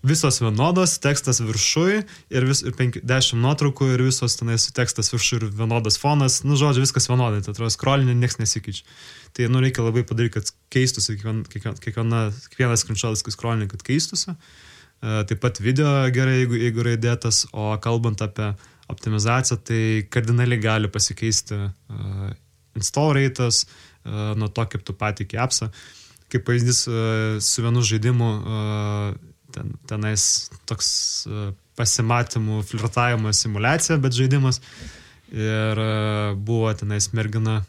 visos vienodos, tekstas viršui ir 10 nuotraukų ir visos tenais tekstas viršui ir vienodas fonas. Žodžiu, viskas vienodai, tai atrodo, scrollinė nieks nesikeičia. Tai reikia labai padaryti, kad keistųsi kiekvienas screenshotas, kai scrollinė, kad keistųsi. Taip pat video gerai, jeigu yra įdėtas, o kalbant apie optimizacija, tai kardinaliai gali pasikeisti install rate'as nuo to, kaip tu pateiki appsą. Kaip pavyzdys su vienu žaidimu tenais toks pasimatymų, flirtavimo simulacija, bet žaidimas. Ir buvo tenais mergina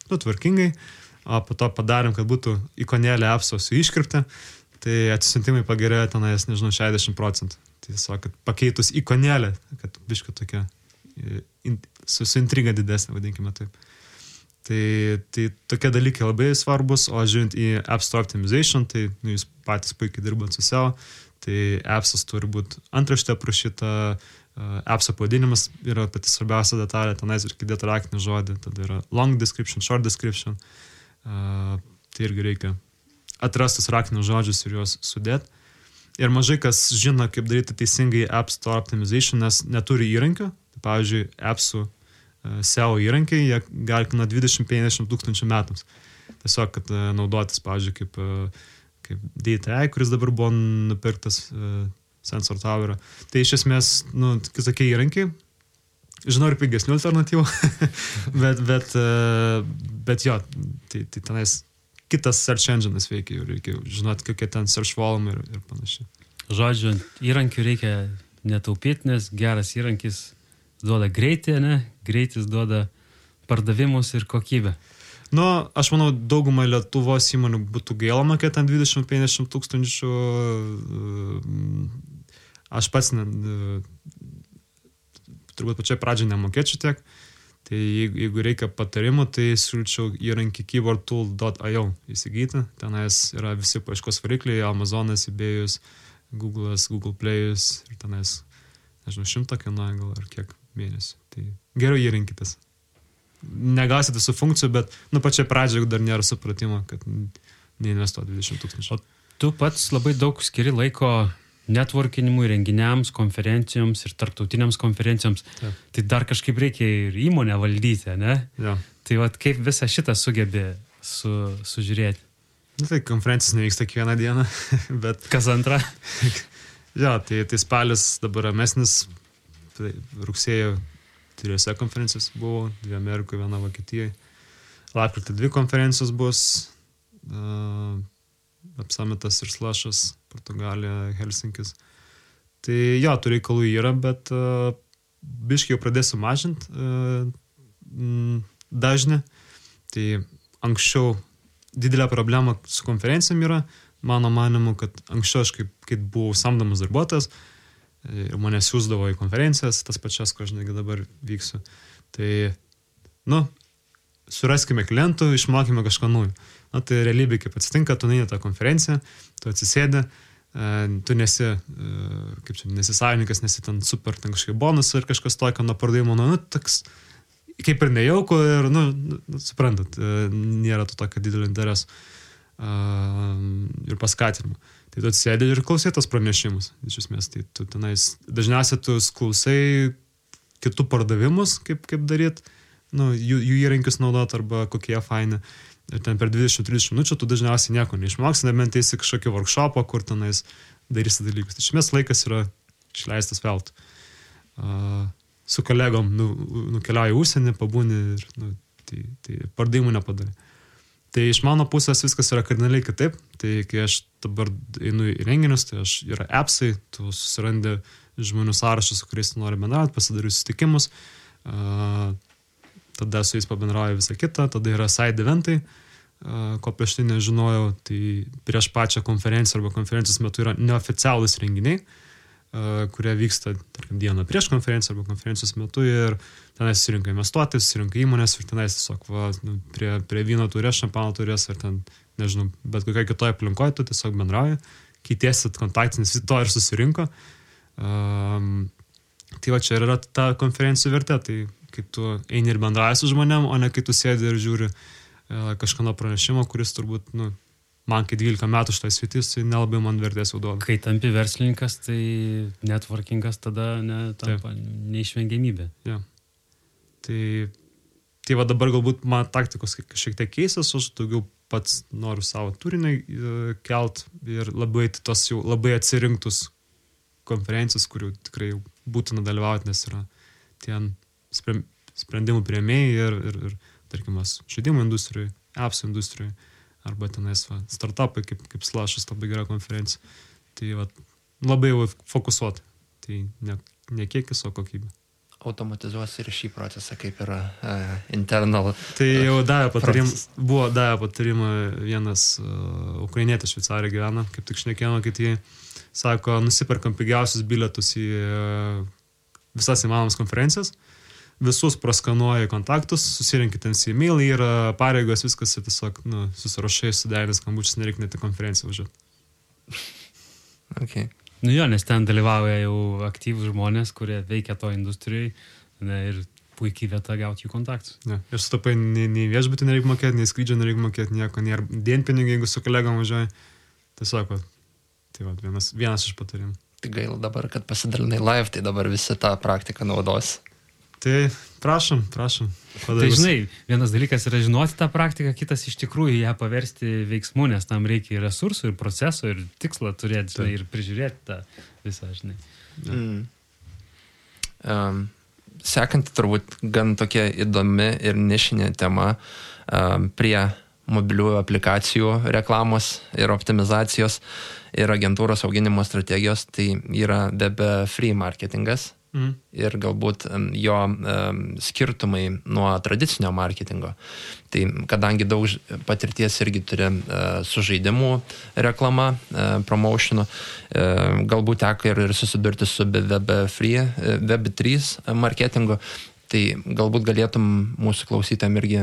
tvarkingai, o po to padarėm, kad būtų ikonėlė appso su iškirpte, tai atsisiuntimai pagerėjo tenais, nežinau, 60%. Tiesiog, kad pakeitus ikonėlę, kad biškai tokia su intriga didesnė, vadinkime taip. Tai tokie dalykai labai svarbus, o žiūrint į App Store Optimization, tai jūs patys puikiai dirbant su SEO, tai appsas turi būti antraštė aprašyta, appso pavadinimas yra pati svarbiausia detalė, tenais ir įdėti raktinį žodį, tada yra long description, short description, tai irgi reikia atrastus raktinius žodžius ir juos sudėti. Ir mažai kas žino, kaip daryti teisingai App Store Optimization, nes neturi įrankių. Tai, pavyzdžiui, appsų SEO įrankiai, jie gali nuo 20-50 tūkstančių metams. Tiesiog, kad naudotis, pavyzdžiui, kaip DTI, kuris dabar buvo nupirktas Sensor Tower. Tai iš esmės, kitokie įrankiai. Žinau ir pigesnių alternatyvų, bet jo, tai tenais kitas search engine'as veikia, reikia žinoti, kokie ten search volume ir panašiai. Žodžiu, įrankių reikia netaupyti, nes geras įrankis duoda greitį, ne? Greitis duoda pardavimus ir kokybę. Aš manau, daugumą Lietuvos įmonių būtų gaila mokėti ant 20-50 tūkstančių. Aš pats turbūt pačiai pradžiai nemokėčiau tiek. Tai jeigu reikia patarimų, tai siūlyčiau įrankį keywordtool.io įsigyti. Tenais yra visi paieškos varikliai, Amazonas, eBay'us, Google'as, Google Play'us ir tenais, nežinau, 100 kainuoja gal ar kiek mėnesių. Tai geriau įrankytas. Negausite su funkcijų, bet pačiai pradžiai dar nėra supratimo, kad neinvestuoti 20 tūkstančių. O tu pats labai daug skiri laiko networkinimui, renginiams, konferencijoms ir tarptautiniams konferencijoms. Taip. Tai dar kažkaip reikia ir įmonę valdyti, ne? Ja. Tai kaip visą šitą sugebė sužiūrėti? Tai konferencijos nevyksta kiekvieną dieną, bet... Kas antra? Ja, tai spalis dabar ramesnis, tai rugsėjo 3 konferencijos buvo, 2 Amerikoje, 1 Vokietijoje. Lapkritį 2 konferencijos bus, Apsamitas ir Slashas, Portugalija, Helsinkis. Tai jo, tų reikalų yra, bet biškai jau pradėsiu mažinti dažnį. Tai anksčiau didelė problema su konferencijom yra, mano manimu, kad anksčiau aš kaip buvau samdomas darbuotojas, ir mane siūsdavo į konferencijas, tas pačias, ko aš negi dabar vyksiu. Tai, suraskime klientų, išmokime kažką naujo. Tai realybė, kaip atsitinka, tu neini tą konferenciją, tu atsisėdi, tu nesi savininkas, nesi ten super, ten kažkaip bonusą ir kažkas tokio nuo pardavimo, toks kaip ir nejauku ir, suprantat, nėra to tokio didelio intereso ir paskatinimo. Tai tu atsisėdi ir klausai tos pranešimus, iš esmės. Tai tu tenais, dažniausiai tu klausai kitų pardavimus, kaip daryti, jų įrankius naudot arba kokie faini. Ir ten per 20-30 minučių tu dažniausiai nieko neišmoksi, nebent eisi kažkokį workshopą, kur tenais darysi dalykus. Tai iš esmės laikas yra išleistas veltui. Su kolegom nukeliauji į užsienį, pabūni ir tai pardavimų nepadarė. Tai iš mano pusės viskas yra kardinaliai kitaip. Tai kai aš dabar einu į renginius, tai yra appsai, tu susirandi žmonių sąrašą, su kuriais tu nori bendrauti, pasidari susitikimus, tada su jais pabendrauju visą kitą, tada yra side eventai, ko prieš tai nežinojau, tai prieš pačią konferenciją arba konferencijos metu yra neoficialūs renginiai, kurie vyksta, tarkim, dieną prieš konferenciją arba konferencijos metu ir tenais susirinka investuotojai, susirinka įmonės ir tenais tiesiog prie vyno turės, šampano turės ar ten, nežinau, bet kokia kitoje aplinkoje tu tiesiog bendrauji, keitėsit kontaktinis, to ir susirinko. Tai va čia yra ta konferencijų vertė, tai kai tu eini ir bendrauji su žmonėm, o ne kai tu sėdi ir žiūri kažkano pranešimo, kuris turbūt, man kai 12 metų šitai sritis, tai nelabai man vertės jau duoda. Kai tampi verslininkas, tai networkingas tada tampa neišvengiamybė. Ja. Tai va dabar galbūt man taktikos šiek tiek keisas, aš daugiau pats noriu savo turinį kelt ir labai tos jau labai atsirinktus konferencijos, kurių tikrai būtina dalyvauti, nes yra tie sprendimų priėmėjai ir tarkimas, žaidimų industrijai, apps industrijai, arba tenais startupai, kaip Slash'as, labai gera konferencija. Tai labai jau fokusuoti. Tai ne kiekis, o kokybė. Automatizuos ir šį procesą, kaip yra internal. Tai jau buvo davę patarimą vienas ukrainietis Šveicarija gyvena, kaip tik šnekėjome, kad jie sako, nusiperkam pigiausius bilietus į visas įmanomas konferencijas, visus praskanuoja kontaktus, susirinkit ten e-mail, yra pareigos, viskas tiesiog susirašai, suderinęs skambučius, nereikia net į konferenciją važiuoti. Okay. Nu jo, nes ten dalyvauja jau aktyvūs žmonės, kurie veikia to industrijai ir puikiai vieta gauti jų kontaktus. Ja. Ir sutapai, nei viešbutį nereikia mokėti, nei skrydžio nereikia mokėti, nieko, nėra dienpinigai, jeigu su kolegom važiuoji. Tiesiog, tai vienas iš patarimų. Tai gaila dabar, kad pasidalinai live, tai dabar visi tą praktiką naudos. Tai prašom. Tai žinai, vienas dalykas yra žinoti tą praktiką, kitas iš tikrųjų ją paversti veiksmu, nes tam reikia ir resursų, ir proceso, ir tikslą turėti, žinai, ir prižiūrėti tą visą, žinai. Sekanti turbūt gan tokia įdomi ir nišinė tema prie mobiliųjų aplikacijų reklamos ir optimizacijos ir agentūros auginimo strategijos, tai yra Web3 marketingas. Ir galbūt jo skirtumai nuo tradicinio marketingo. Tai kadangi daug patirties irgi turi su žaidimų reklama, promotionu, galbūt teko ir susidurti su Web3 marketingu, tai galbūt galėtum mūsų klausytojam irgi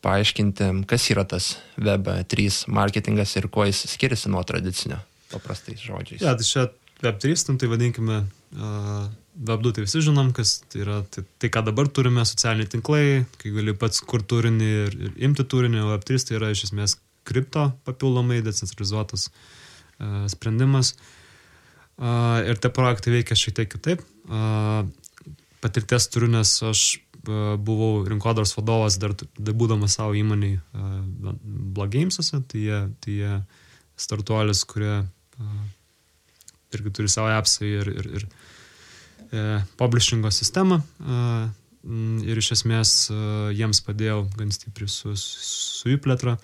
paaiškinti, kas yra tas Web3 marketingas ir kuo jis skiriasi nuo tradicinio, paprastais žodžiais. Ja, tai čia Web3, tai vadinkime Web2, tai visi žinom, kas tai yra tai, ką dabar turime, socialiniai tinklai, kai gali pats kur turinį ir imti turinį, o Web3 tai yra iš esmės kripto papildomai decentralizuotas sprendimas. Ir tie projektai veikia šiek tiek kitaip. Patirties turiu, nes aš buvau rinkodaros vadovas dar būdamas savo įmoniai Blogames'uose, tai jie startuolis, kurie irgi turi savo appsą ir publishingo sistemą ir iš esmės jiems padėjau gan stipriai su jų plėtra.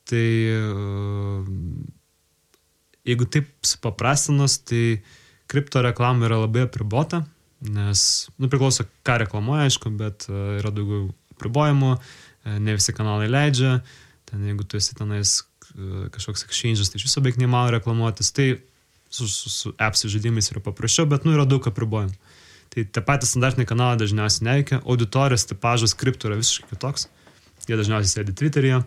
Tai jeigu taip supaprastinus, tai kripto reklama yra labai apribota, nes, priklauso ką reklamuoja, aišku, bet yra daugiau apribojimų, ne visi kanalai leidžia, ten jeigu tu esi tenais kažkoks exchange'as, tai iš viso beveik neįmanoma reklamuotis, tai su apps žaidimais yra paprasčiau, bet yra daug apribojimų. Tai tie patys standartiniai kanalai dažniausiai neveikia, auditorijos tipažas kripto yra visiškai kitoks, jie dažniausiai sėdi Twitter'yje,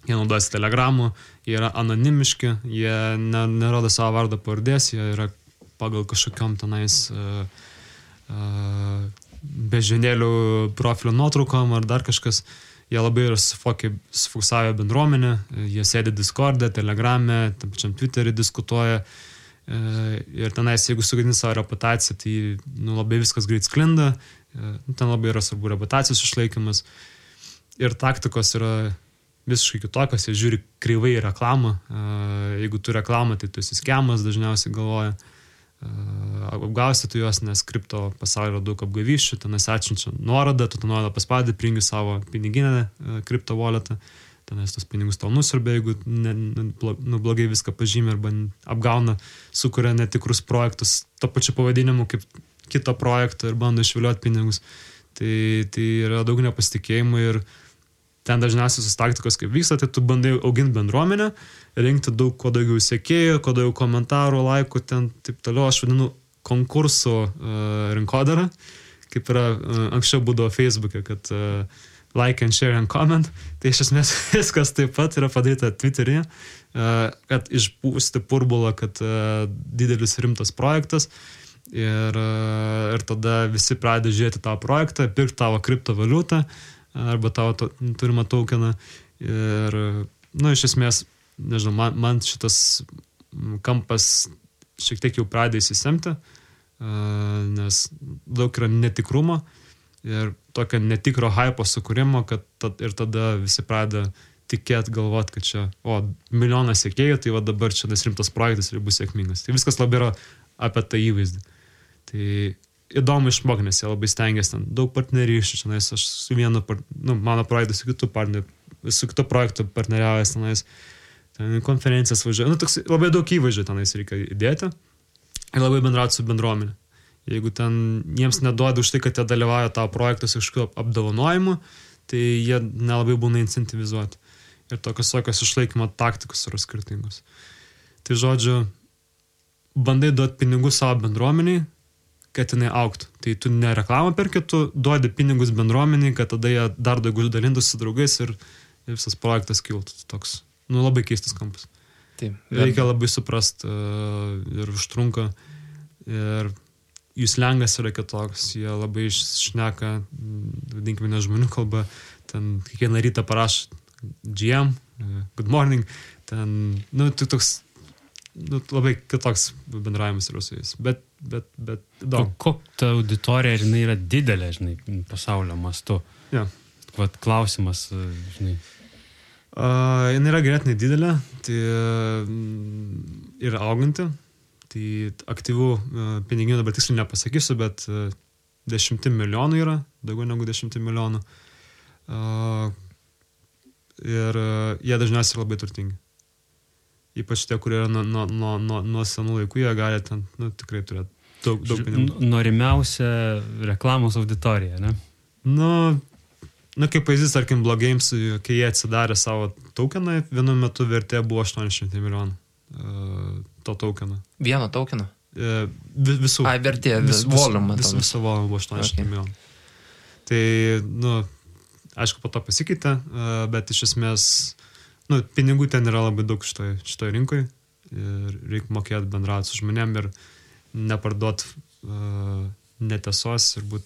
jie naudojasi Telegram'u, jie yra anonimiški, jie nerodo savo vardą pavardės, jie yra pagal kažkokiom tenais bežinėlių profilio nuotraukom ar dar kažkas. Jie labai yra sufokusavę bendruomenę, jie sėdi Discord'e, Telegram'e, tam pačiam Twitter'e diskutuoja. Ir tenais, jeigu sugadini savo reputaciją, tai labai viskas greit sklinda, ten labai yra svarbu reputacijos išlaikymas ir taktikos yra visiškai kitokios, jie žiūri kreivai reklamą, jeigu tu reklamą, tai tu esi skemas, dažniausiai galvoja, apgausi tu juos, nes kripto pasaulyje yra daug apgavyščių, tenais atsiunčia nuorodą, tu tą nuorodą paspaudi, prijungi savo piniginę kripto walletą, tenais tos pinigus tau nusiurbia, jeigu blogai viską pažymė arba apgauna, sukuria netikrus projektus to pačiu pavadinimu kaip kito projekto ir bando išviliuoti pinigus. Tai yra daug nepasitikėjimų ir ten dažniausiai sus taktikos kaip vyksta, tai tu bandai auginti bendruomenę, rinkti kuo daugiau sekėjų, kuo daugiau komentarų, laikų, ten taip toliau. Aš vadinu konkursų rinkodarą, kaip yra anksčiau būdavo Facebook'e, kad like and share and comment, tai iš esmės viskas taip pat yra padaryta Twitter'e, kad išpūsti burbulą, kad didelis rimtas projektas ir tada visi pradeda žiūrėti tavo projektą, pirkti tavo kriptovaliutą arba tavo turimą tokeną ir, iš esmės, nežinau, man šitas kampas šiek tiek jau pradeda įsisemti, nes daug yra netikrumo ir tokio netikro hypo sukūrimo, kad ir tada visi pradeda tikėti, galvoti, kad čia, milijonas sekėjų, tai dabar čia tas rimtas projektas ir bus sėkmingas. Tai viskas labai yra apie tą įvaizdį. Tai įdomu išmokti, nes jie labai stengiasi ten daug partnerysčių, čionais aš su vienu, mano projektu, su kitu projektu partneriavęs tenais, ten konferencijas važiuoju, toks labai daug įvažių tenais reikia įdėti ir labai bendrauti su bendruomenė. Jeigu ten jiems neduoda už tai, kad jie dalyvauja tavo projektus kažkokiu apdovanojimu, tai jie nelabai būna incentivizuoti. Ir tokios išlaikymo taktikos yra skirtingos. Tai žodžiu, bandai duoti pinigų savo bendruomeniai, kad jinai augtų. Tai tu ne reklamą perki, tu duodi pinigus bendruomeniai, kad tada jie dar daugiau dalintųsi su draugais ir visas projektas kiltų. Toks, labai keistas kampas. Taip. Reikia labai suprast ir užtrunka. Ir jų slengas yra kitoks. Jie labai šneka, vadinkime, ne žmonių kalba. Ten kiekvieną rytą parašo GM, good morning. Ten, tai toks labai kitoks bendravimas yra su jais. Bet daug. Kokia ta auditorija, jinai yra didelė, žinai, pasaulio mastu? Ja. Vat klausimas, žinai. Jinai yra ganėtinai didelė, tai yra auganti. Tai aktyvų piniginių dabar tiksliai nepasakysiu, bet 10 milijonų yra, daugiau negu 10 milijonų. Ir jie dažniausiai labai turtingi. Ypač tie, kurie yra nuo senų laikų, jie gali ten tikrai turėti daug pinigų. Norimiausia reklamos auditorija, ne? Kaip pavyzdys, tarkim, Blogames, kai jie atsidarė savo tokeną, vienu metu vertė buvo 800 milijonų to tokeną. Vieno tokeno? Visų. Vertė, volumą. Visą volumą buvo 800 milijonų. Tai, aišku, po to pasikeitė, bet iš esmės pinigų ten yra labai daug šitoj rinkoje ir reikia mokėti bendrauti su žmonėm ir neparduoti netiesos ir būti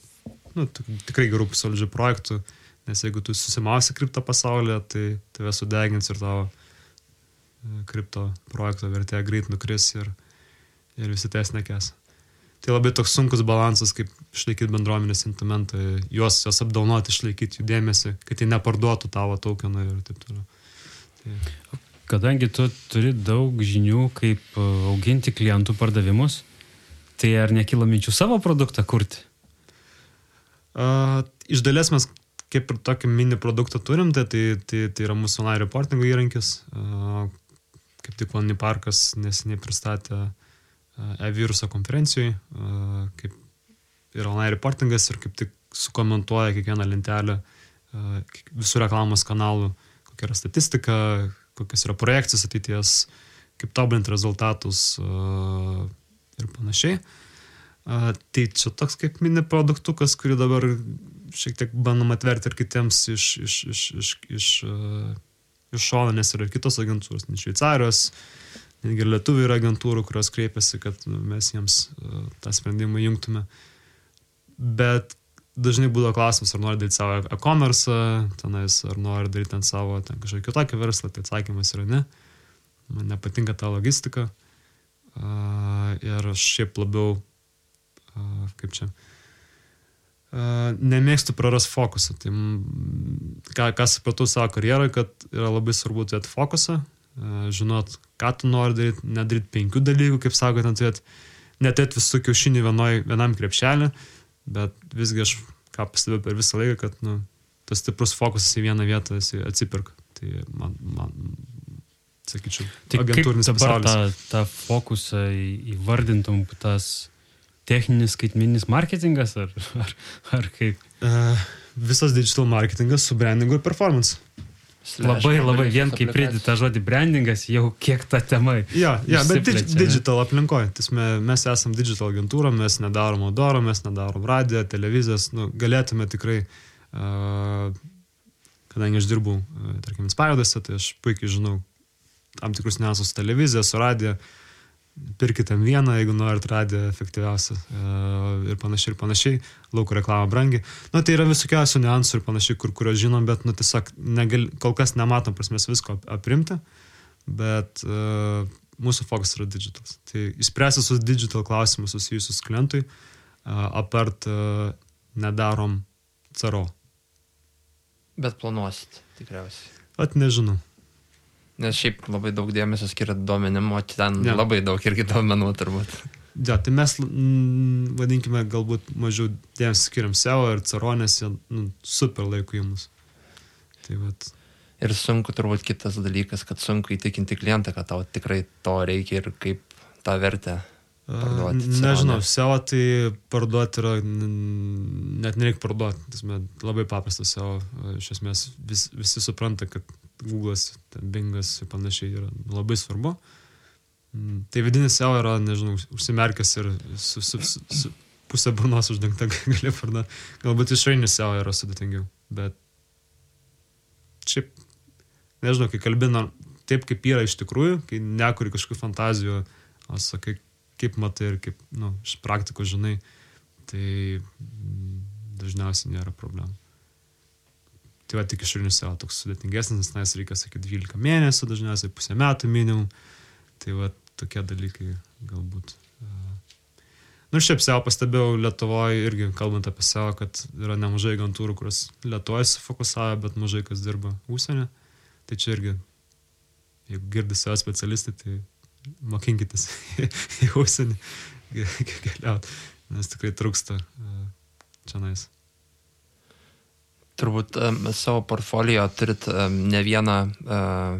tikrai gerų solidžių projektų, nes jeigu tu susimausi kripto pasaulyje, tai tave sudegins ir tavo kripto projekto vertė greit nukris ir visi ties nekės. Tai labai toks sunkus balansas, kaip išlaikyti bendruomenės sentimentą, juos apdaunoti, išlaikyti jų dėmesį, kad jie neparduotų tavo tokeną ir taip toliau. Kadangi tu turi daug žinių, kaip auginti klientų pardavimus, tai ar nekyla minčių savo produktą kurti? Iš dalies mes kaip ir tokį mini produktą turim, tai yra mūsų online reportingo įrankis. Kaip tik Lonely Parkas neseniai pristatė e-viruso konferencijoje, kaip yra online reportingas ir kaip tik sukomentuoja kiekvieną lentelę visų reklamos kanalų, kokia yra statistika, kokios yra projekcijos ateities, kaip tobulinti rezultatus ir panašiai. Tai čia toks kaip mini produktukas, kurį dabar šiek tiek bandom atverti ir kitiems iš šono, nes yra kitos agentūros, ne Šveicarijos, netgi lietuvių yra agentūrų, kurios kreipiasi, kad mes jiems tą sprendimą jungtume. Bet dažnai būdavo klausimas, ar nori daryti savo e-commerce, tenais, ar nori daryti ten savo kažkokį kitokį verslą, tai atsakymas yra ne. Man nepatinka ta logistika. Ir aš šiaip labiau, nemėgstu prarast fokusą. Tai ką supratau savo karjeroje, kad yra labai svarbu turėti fokusą, žinot, ką tu nori daryti, nedaryti 5 dalykų, kaip sako, neturėti visų kiaušinių vienam krepšelį, bet visgi aš ką pastebėjau per visą laiką, kad tas stiprus fokusas į vieną vietą atsipirka. Tai man sakyčiau, agentūrinis pasaulis. Tai kaip dabar tą fokusą įvardintum, tas techninis skaitmeninis marketingas ar kaip? Visas digital marketingas su brandingu ir performance. Labai vien kaip pridėti tą žodį brandingas, jau kiek ta tema. Bet digital aplinkoje. Mes esam digital agentūra, mes nedarom outdoor, mes nedarom radiją, televizijas. Galėtume tikrai, kadangi aš dirbau, tarkim, Inspiredose, tai aš puikiai žinau tam tikrus niuansus su televizija, su radija. Pirkite vieną, jeigu norit radiją efektyviausią ir panašiai, lauko reklamą brangiai. Tai yra visokiausių niuansų ir panašiai, kurios žinom, bet tiesiog kol kas nematom prasmės visko aprimti, bet mūsų fokus yra digitalas. Tai išspręsti su digital klausimus susijusius klientui, apart nedarom CRO. Bet planuosit tikriausiai. Nežinau. Nes šiaip labai daug dėmesio skiria duomenim, o ten labai daug irgi duomenų turbūt. Ja, tai mes, vadinkime, galbūt mažiau dėmesio skiriam SEO ir CRO, nes jie super laiko į mus. Tai vat. Ir sunku turbūt kitas dalykas, kad sunku įtikinti klientą, kad tau tikrai to reikia ir kaip tą vertę parduoti. Nežinau, SEO tai parduoti yra, net nereikia parduoti, labai paprastas SEO, iš esmės visi supranta, kad Google'as, Bing'as ir panašiai yra labai svarbu. Tai vidinis SEO yra, nežinau, užsimerkęs ir su pusę burnos uždengta gali parduoti. Galbūt išorinis SEO yra sudėtingiau, bet šiaip, nežinau, kai kalbina taip, kaip yra iš tikrųjų, kai nekuri kažkokių fantazijų, o sakai, kaip matai ir kaip, iš praktikos žinai, tai dažniausiai nėra problemų. Tai va, tik išorinis SEO toks sudėtingesnis, nes reikia, sakyti, 12 mėnesių, dažniausiai pusę metų minimum. Tai va, tokie dalykai galbūt. Šiaip SEO pastebėjau Lietuvoje irgi, kalbant apie SEO, kad yra nemažai agentūrų, kurios Lietuvoje sufokusavo, bet mažai kas dirba užsienį. Tai čia irgi, jeigu girdi SEO specialistai, tai mokinkitės į užsienį keliauti, nes tikrai trūksta čia nais. Turbūt savo portfolio turit ne vieną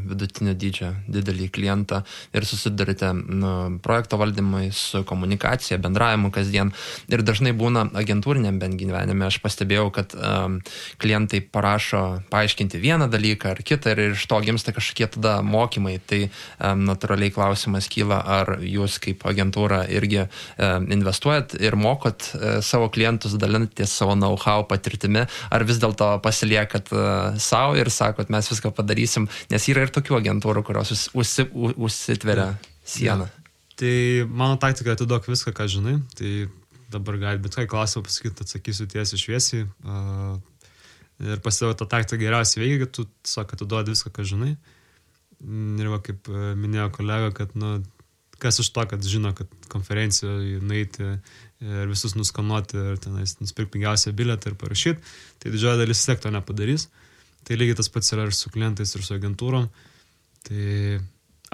vidutinio dydžio didelį klientą ir susidurite projekto valdymai su komunikacija, bendravimu kasdien. Ir dažnai būna agentūriniam bent gyvenime. Aš pastebėjau, kad klientai parašo paaiškinti vieną dalyką ar kitą ir iš to gimsta kažkokie tada mokymai. Tai natūraliai klausimas kyla, ar jūs kaip agentūra irgi investuojat ir mokot savo klientus, dalinatės savo know-how patirtimi, ar vis dėlto pasiliekat savo ir sakot, mes viską padarysim, nes yra ir tokių agentūrų, kurios užsitveria sieną. Ja. Tai mano taktika atiduok viską, ką žinai, tai dabar gali bet ką klausimą pasakyti, atsakysiu tiesiai šviesiai ir pasidaviau tą taktiką geriausiai veikia, kad tu tiesiog atiduodi viską, ką žinai. Ir va, kaip minėjo kolega, kad kas iš to, kad žino, kad konferencijoje nueiti ir visus nuskanuoti ir tenais nusipirkti pigiausią bilietą ir parašyti, tai didžioji dalis vis tiek to nepadarys. Tai lygiai tas pats yra ir su klientais, ir su agentūrom. Tai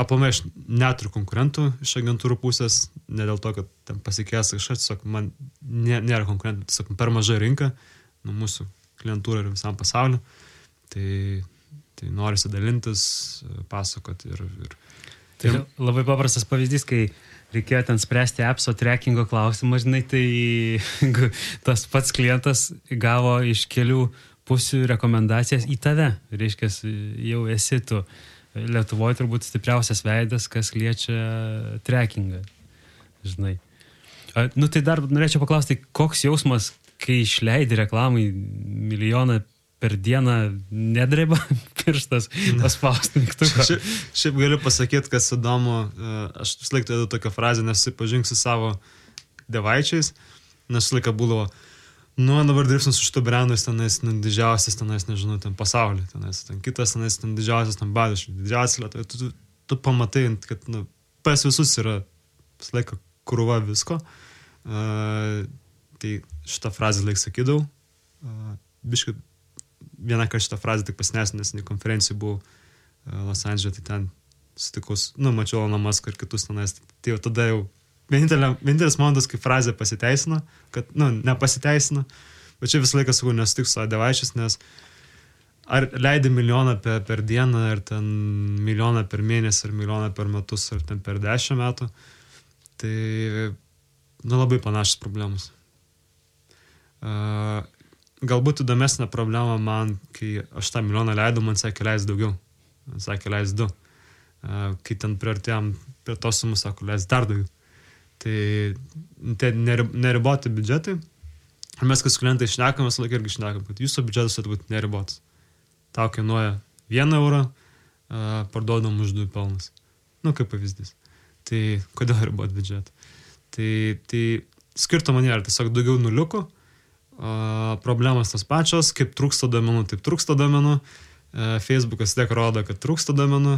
aplamai aš neturiu konkurentų iš agentūrų pusės, ne dėl to, kad ten pasikės kažkas, tiesiog man nėra konkurentų, tiesiog per maža rinka nuo mūsų klientūrų ir visam pasauliu. Tai norisi dalintis, pasakoti ir Tai labai paprastas pavyzdys, kai reikėjo ten spręsti appso trackingo klausimą, žinai, tai tas pats klientas gavo iš kelių pusių rekomendacijas į tave. Reiškia, jau esi tu Lietuvoje turbūt stipriausias veidas, kas liečia trackingą, žinai. Tai dar norėčiau paklausti, koks jausmas, kai išleidi reklamai 1 milijoną per dieną nedreba pirštas paspausti mygtuką. Šiaip galiu pasakyti, kas įdomu, aš vis laik turiu tokią frazę, nesusipažink su savo devaičiais, nes vis laiką būdavo, dabar dirbsim su šitų brandais, tenais didžiausias, tenais, nežinau, ten pasaulyje, tenais, ten kitas, tenais, ten didžiausias, ten badiškai, didžiausias Lietuvoje, tu pamatai, kad pas visus yra vis laiką krūva visko, tai šitą frazę laik sakydavau, biškai vieną kartą šitą frazę tik pasinesu, nes konferencijų buvau Los Andželė, tai ten sutikus, mačiau Eloną Muską ir kitus tenais, tai jau tada jau vienintelis momentas, kai frazė pasiteisino, kad, nepasiteisino, bet čia visą laiką sakau, nesutik su devaičiais, nes ar leidi 1 milijoną per dieną, ar ten 1 milijoną per mėnesį, ar 1 milijoną per metus, ar ten per 10 metų, tai, labai panašios problemos. Galbūt įdomesnė problema man, kai aš tą 1 milijoną leidau, man sakė, leis daugiau. Man sakė, leis 2. Kai ten priartėjom prie tos sumus, sako, leis dar daugiau. Tai neriboti biudžetai. Ir mes, kai su klientai šnekam, mes laikai irgi šnekam, kad jūsų biudžetas turi būti neribotas. Tau kainuoja 1 eurą, parduodam už 2 pelnas. Kaip pavyzdys. Tai kodėl riboti biudžetą? Tai skirtumo nėra, tiesiog daugiau nuliukų. Problemas tas pačios, kaip trūksta duomenų, taip trūksta duomenų, Facebookas vis tiek rodo, kad trūksta duomenų,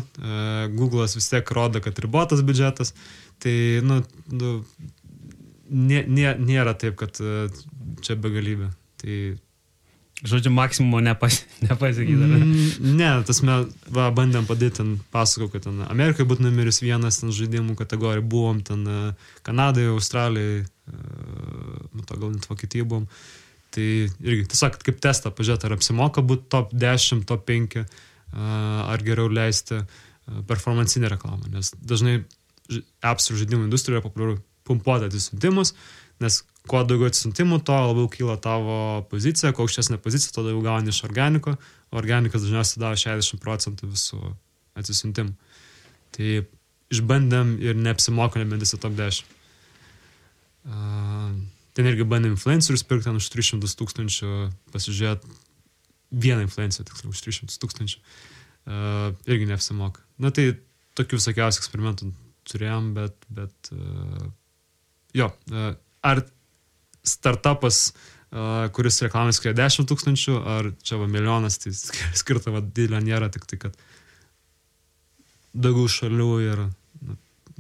Google'as vis tiek rodo, kad ribotas biudžetas, tai nėra taip, kad čia begalybė. Tai Žodžiu, maksimumo nepasakyti. Ne, tas mes bandėm padėti, ten pasakau, kad ten Amerikai būtų numeris 1 ten žaidimų kategorijai, buvom ten Kanadai, Australijai, to gal net Vokietijai buvom. Tai irgi, tiesiog kaip testą pažiūrėti, ar apsimoka būti top 10, top 5, ar geriau leisti performancinę reklamą, nes dažnai appsų žaidimų industrijoje populiaru pumpuoti atsisiuntimus, nes kuo daugiau atsisiuntimų, to labiau kyla tavo pozicija, kuo aukštesnė pozicija, to daugiau gauni iš organiko, o organikas dažniausiai daro 60% visų atsisiuntimų. Tai išbandėm ir neapsimoka nebent į top 10. Ten irgi bandėm influencerius pirkti už 300 000, pasižiūrėti vieną influencerį, tiksliau, už 300 000. Irgi neapsimoka. Na tai tokių visokiausių eksperimentų turėjom, bet jo, ar startupas, kuris reklamas skiria 10 000, ar čia va milijonas, tai skirta va didelio nėra, tik tai, kad daugiau šalių ir,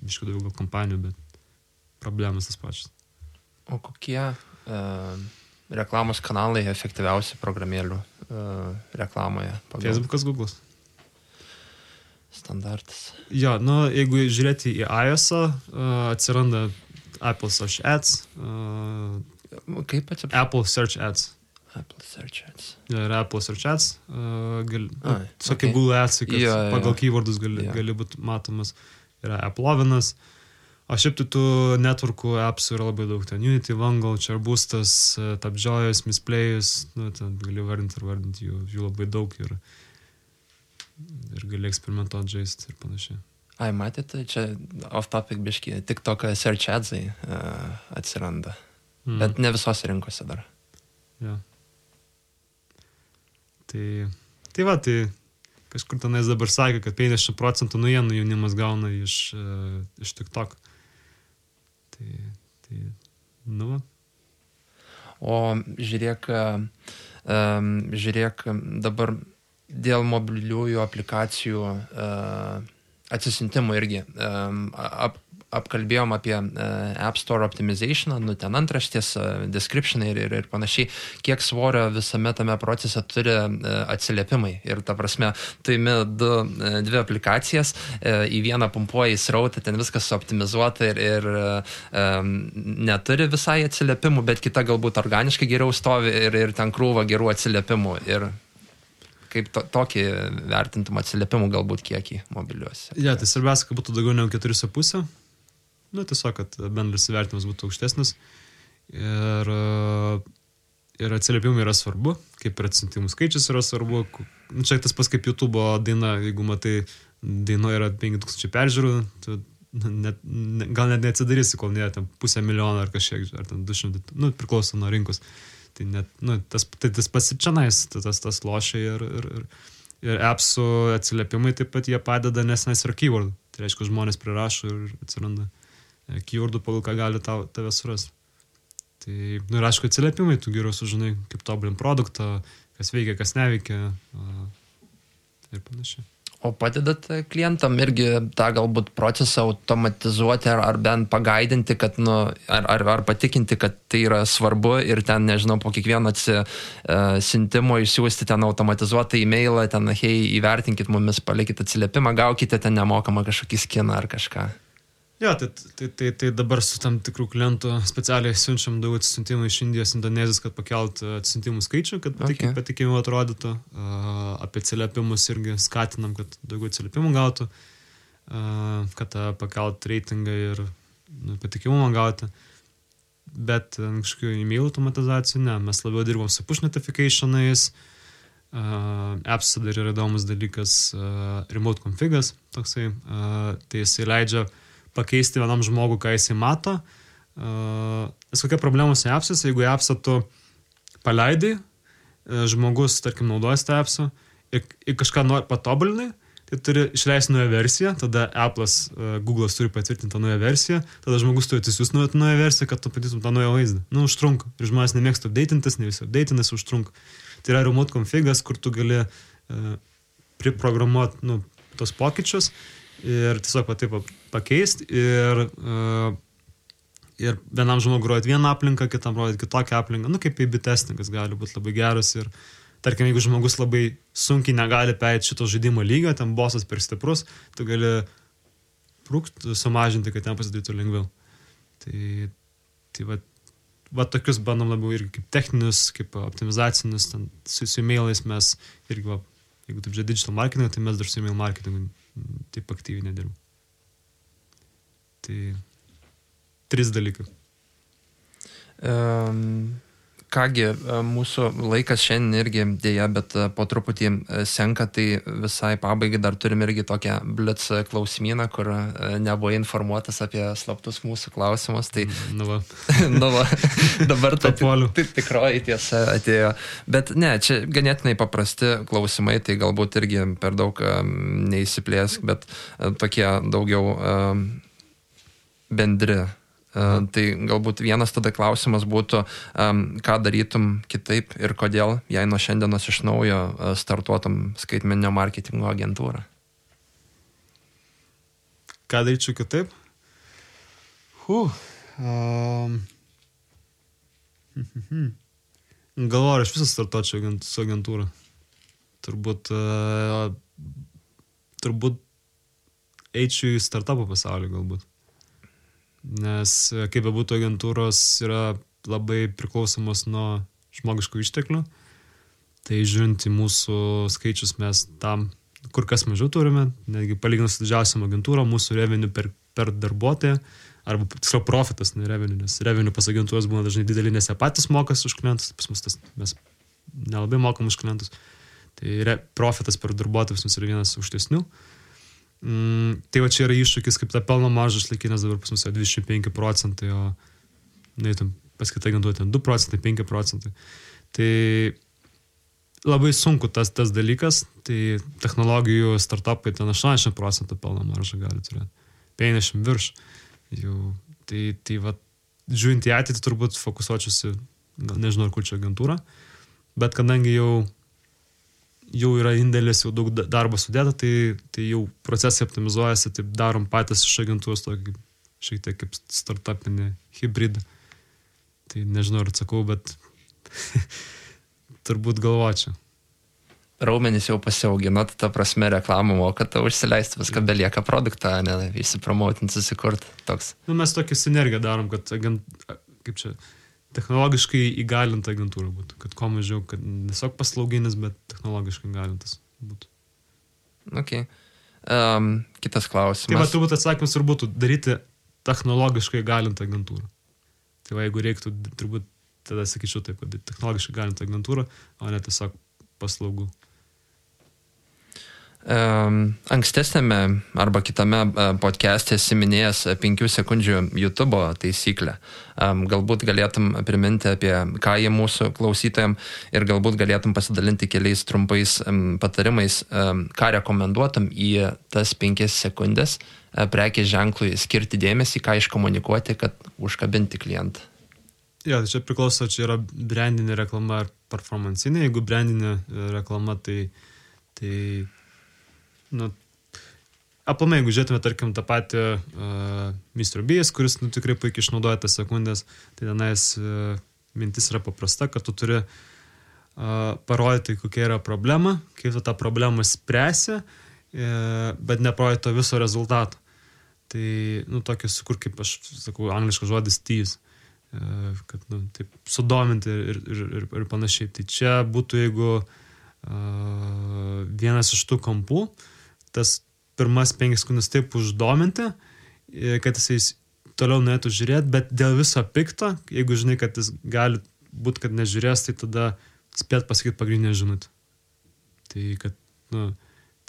aišku, daugiau gal kompanijų, bet problemas tas pačias. O kokie reklamos kanalai efektyviausi programėlių reklamoje? Facebookas, Google'as. Standartas. Jo, jeigu žiūrėti į iOS-ą, atsiranda Apple Search Ads. Kaip atsiprašau? Apple Search Ads. Apple Search Ads. Ja, yra Apple Search Ads. Tiesiog okay. Google Ads, kad pagal keywordus Yeah. būti matomas. Yra Apple'ovinas. O šiaip tai tų networkų appsų yra labai daug. Ten Unity, Wangle, Charboostas, Tapjoyas, Misplejus. Ten gali vardinti jų labai daug ir gali eksperimentuoti, žaisti ir panašiai. Ai, matėte, čia off-topic biški, TikTok search adsai atsiranda. Bet ne visose rinkose dar. Ja. Tai kažkur tenais dabar sakė, kad 50% naujienų jaunimas gauna iš TikTok. Tai va. O žiūrėk dabar dėl mobiliųjų aplikacijų atsisintimų irgi apkalbėjom apie App Store optimizationą, ten antraštės, descriptionai ir panašiai, kiek svorio visame tame procese turi atsiliepimai. Ir ta prasme, tu imi dvi aplikacijas, į vieną pumpuoji srautą, ten viskas optimizuota ir neturi visai atsiliepimų, bet kita galbūt organiškai geriau stovi ir ten krūva gerų atsiliepimų. Ir kaip tokį vertintum atsiliepimų galbūt kiekį mobiliuose. Ja, tai svarbiausia, kad būtų daugiau negu 4,5. Tiesiog, kad bendras įvertinimas būtų aukštesnis. Ir atsiliepimai yra svarbu, kaip ir atsiuntimų skaičius yra svarbu. Čia tas pas kaip YouTube daina, jeigu matai, daino yra 5000 peržiūrų, gal net neatsidarysi, kol nėra ten 500,000 ar kažkiek, ar ten 200, priklauso nuo rinkos. Tai net, tas pasičianais, tas lošia ir appsų atsiliepimai taip pat jie padeda, nes yra keyword. Tai reiškia, žmonės prirašo ir atsiranda keywordų, pagal ką gali tave surasti. Tai, ir aišku, atsiliepimai, tu geriau sužinai, kaip tobulint produktą, kas veikia, kas neveikia ir panašiai. O padedat klientam irgi tą galbūt procesą automatizuoti ar bent pagaidinti, kad, ar patikinti, kad tai yra svarbu ir ten, nežinau, po kiekvieno atsisintimo išsiųsti ten automatizuotą e-mailą, ten, hei, įvertinkit mumis, palikit atsiliepimą, gaukite ten nemokamą kažkokį skiną ar kažką. Jo, tai dabar su tam tikrų klientų specialiai siunčiam daug atsisiuntimų iš Indijos, Indonezijos, kad pakelt atsisiuntimų skaičių, kad patikimiau atrodytų. Apie atsiliepimus irgi skatinam, kad daugiau atsiliepimų gautų, kad pakelt reitingą ir patikimumą gauti. Bet kažkokių e-mail automatizacijų, ne, mes labiau dirbam su push notificationais. Apps'e dar yra įdomus dalykas remote configas, toksai, tai jisai leidžia pakeisti vienam žmogų, ką jisai mato. Nes kokia problema su apps'as, jeigu apps'ą tu paleidai, žmogus, tarkim, naudojasi tą apps'ą ir kažką patobulinai, tai turi išleisti naują versiją, tada Apple'as, Google'as turi patvirtinti tą naują versiją, tada žmogus turi atsisiųsti naują versiją, kad tu patytum tą naują vaizdą. Užtrunka. Ir žmonės nemėgsta updatintis, ne visi updatintis, užtrunka. Tai yra remote configas, kur tu gali priprogramuoti tos pokyčius ir tiesiog taip pakeisti ir Ir vienam žmogui rodyti vieną aplinką, kitam rodyti kitokią aplinką. Nu, kaip A/B testingas gali būti labai geras. Ir tarkim, jeigu žmogus labai sunkiai negali pereiti šito žaidimo lygio, ten bosas per stiprus, tu gali sumažinti, kad ten pasidarytų lengviau. Tai va tokius bandom labiau irgi kaip techninius, kaip optimizacinius, ten su emailais mes irgi, va, jeigu taip žiūrė digital marketing, tai mes dar su email marketingu taip aktyviai nedirbam. Tai 3 dalykai. Kągi, mūsų laikas šiandien irgi dėja, bet po truputį senka, tai visai pabaigai dar turim irgi tokią blitz klausimyną, kur nebuvo informuotas apie slaptus mūsų klausimus. Tai, nu va, dabar tai tikroji tiesa atėjo. Bet ne, čia ganėtinai paprasti klausimai, tai galbūt irgi per daug neįsiplėsk, bet tokie daugiau bendri. Tai galbūt vienas tada klausimas būtų, ką darytum kitaip ir kodėl, jei nuo šiandienos iš naujo startuotum skaitmeninio marketingo agentūrą? Ką daryčiau kitaip? Galvoju, aš visą startuočiau su agentūra. Turbūt eičiau į startupų pasaulį galbūt. Nes kaip bebūtų agentūros yra labai priklausomos nuo žmogiškų išteklių, tai žiūrint į mūsų skaičius mes tam kur kas mažiau turime, netgi palyginus su didžiausiam agentūrom, mūsų revenue per darbuotoją, arba tiksliau profitas, ne revenue, nes revenue pas agentūros būna dažnai didelį, nes jie patys mokas už klientus, pas mus mes nelabai mokam už klientus, tai profitas per darbuotojus yra vienas aukštesnių. Tai va čia yra iššūkis, kaip tą pelno maržą išlaikyti, nes dabar pas mus 25%, o pas kitą agentūrą 2%, 5%. Tai labai sunku tas dalykas, tai technologijų startupai ten 80% pelno maržą gali turėti, 50 virš. Tai va, žiūrint į ateitį turbūt fokusuočiausi, nežinau, ar kurčiau agentūrą, bet kadangi jau yra indėlis, jau daug darbo sudėta, tai jau procesai optimizuojasi, taip darom patys iš agentūros tokį šiek tiek kaip startupinį hybridą. Tai nežinau, ar atsakau, bet turbūt galvočiau. Raumenys jau pasiauginot, ta prasme reklamą mokat, užsileisti viską, belieka produktą, ne, įsipromotinti, susikurti toks. Nu, mes tokį sinergiją darom, kad kaip čia, technologiškai įgalinta agentūra būtų, kad kuo mažiau, kad tiesiog paslauginis, bet technologiškai įgalintas būtų. Ok. Kitas klausimas. Tai va, turbūt atsakymas ir būtų daryti technologiškai įgalintą agentūrą. Tai va, jeigu reiktų, turbūt tada sakyčiau taip, kad technologiškai įgalintą agentūrą, o ne tiesiog paslaugų. Ankstesnėme arba kitame podcast'e esi minėjęs 5 sekundžių YouTube taisyklę. Galbūt galėtum priminti apie ką jie mūsų klausytojams ir galbūt galėtum pasidalinti keliais trumpais patarimais, ką rekomenduotum į tas 5 sekundės prekės ženklui skirti dėmesį, ką iškomunikuoti, kad užkabinti klientą. Jo, tai čia priklauso, čia yra brandinė reklama ar performancinė. Jeigu brandinė reklama, tai aplamai, jeigu žiūrėtume, tarkim, tą patį Mr. Beast, kuris tikrai puikiai išnaudoja tas sekundės, tai tenais mintis yra paprasta, kad tu turi parodyti, kokia yra problema, kaip tu tą problemą spręsi, bet neparodyti to viso rezultato. Tai, tokį sukur, kaip aš sakau, angliškas žodis tease, kad, taip, sudominti ir panašiai. Tai čia būtų, jeigu vienas iš tų kampų, tas pirmas 5 sekundės taip uždominti, kad jis toliau norėtų žiūrėti, bet dėl viso pikto, jeigu žinai, kad jis gali būti, kad nežiūrės, tai tada spėt pasakyti pagrindinę žinutę. Tai, kad,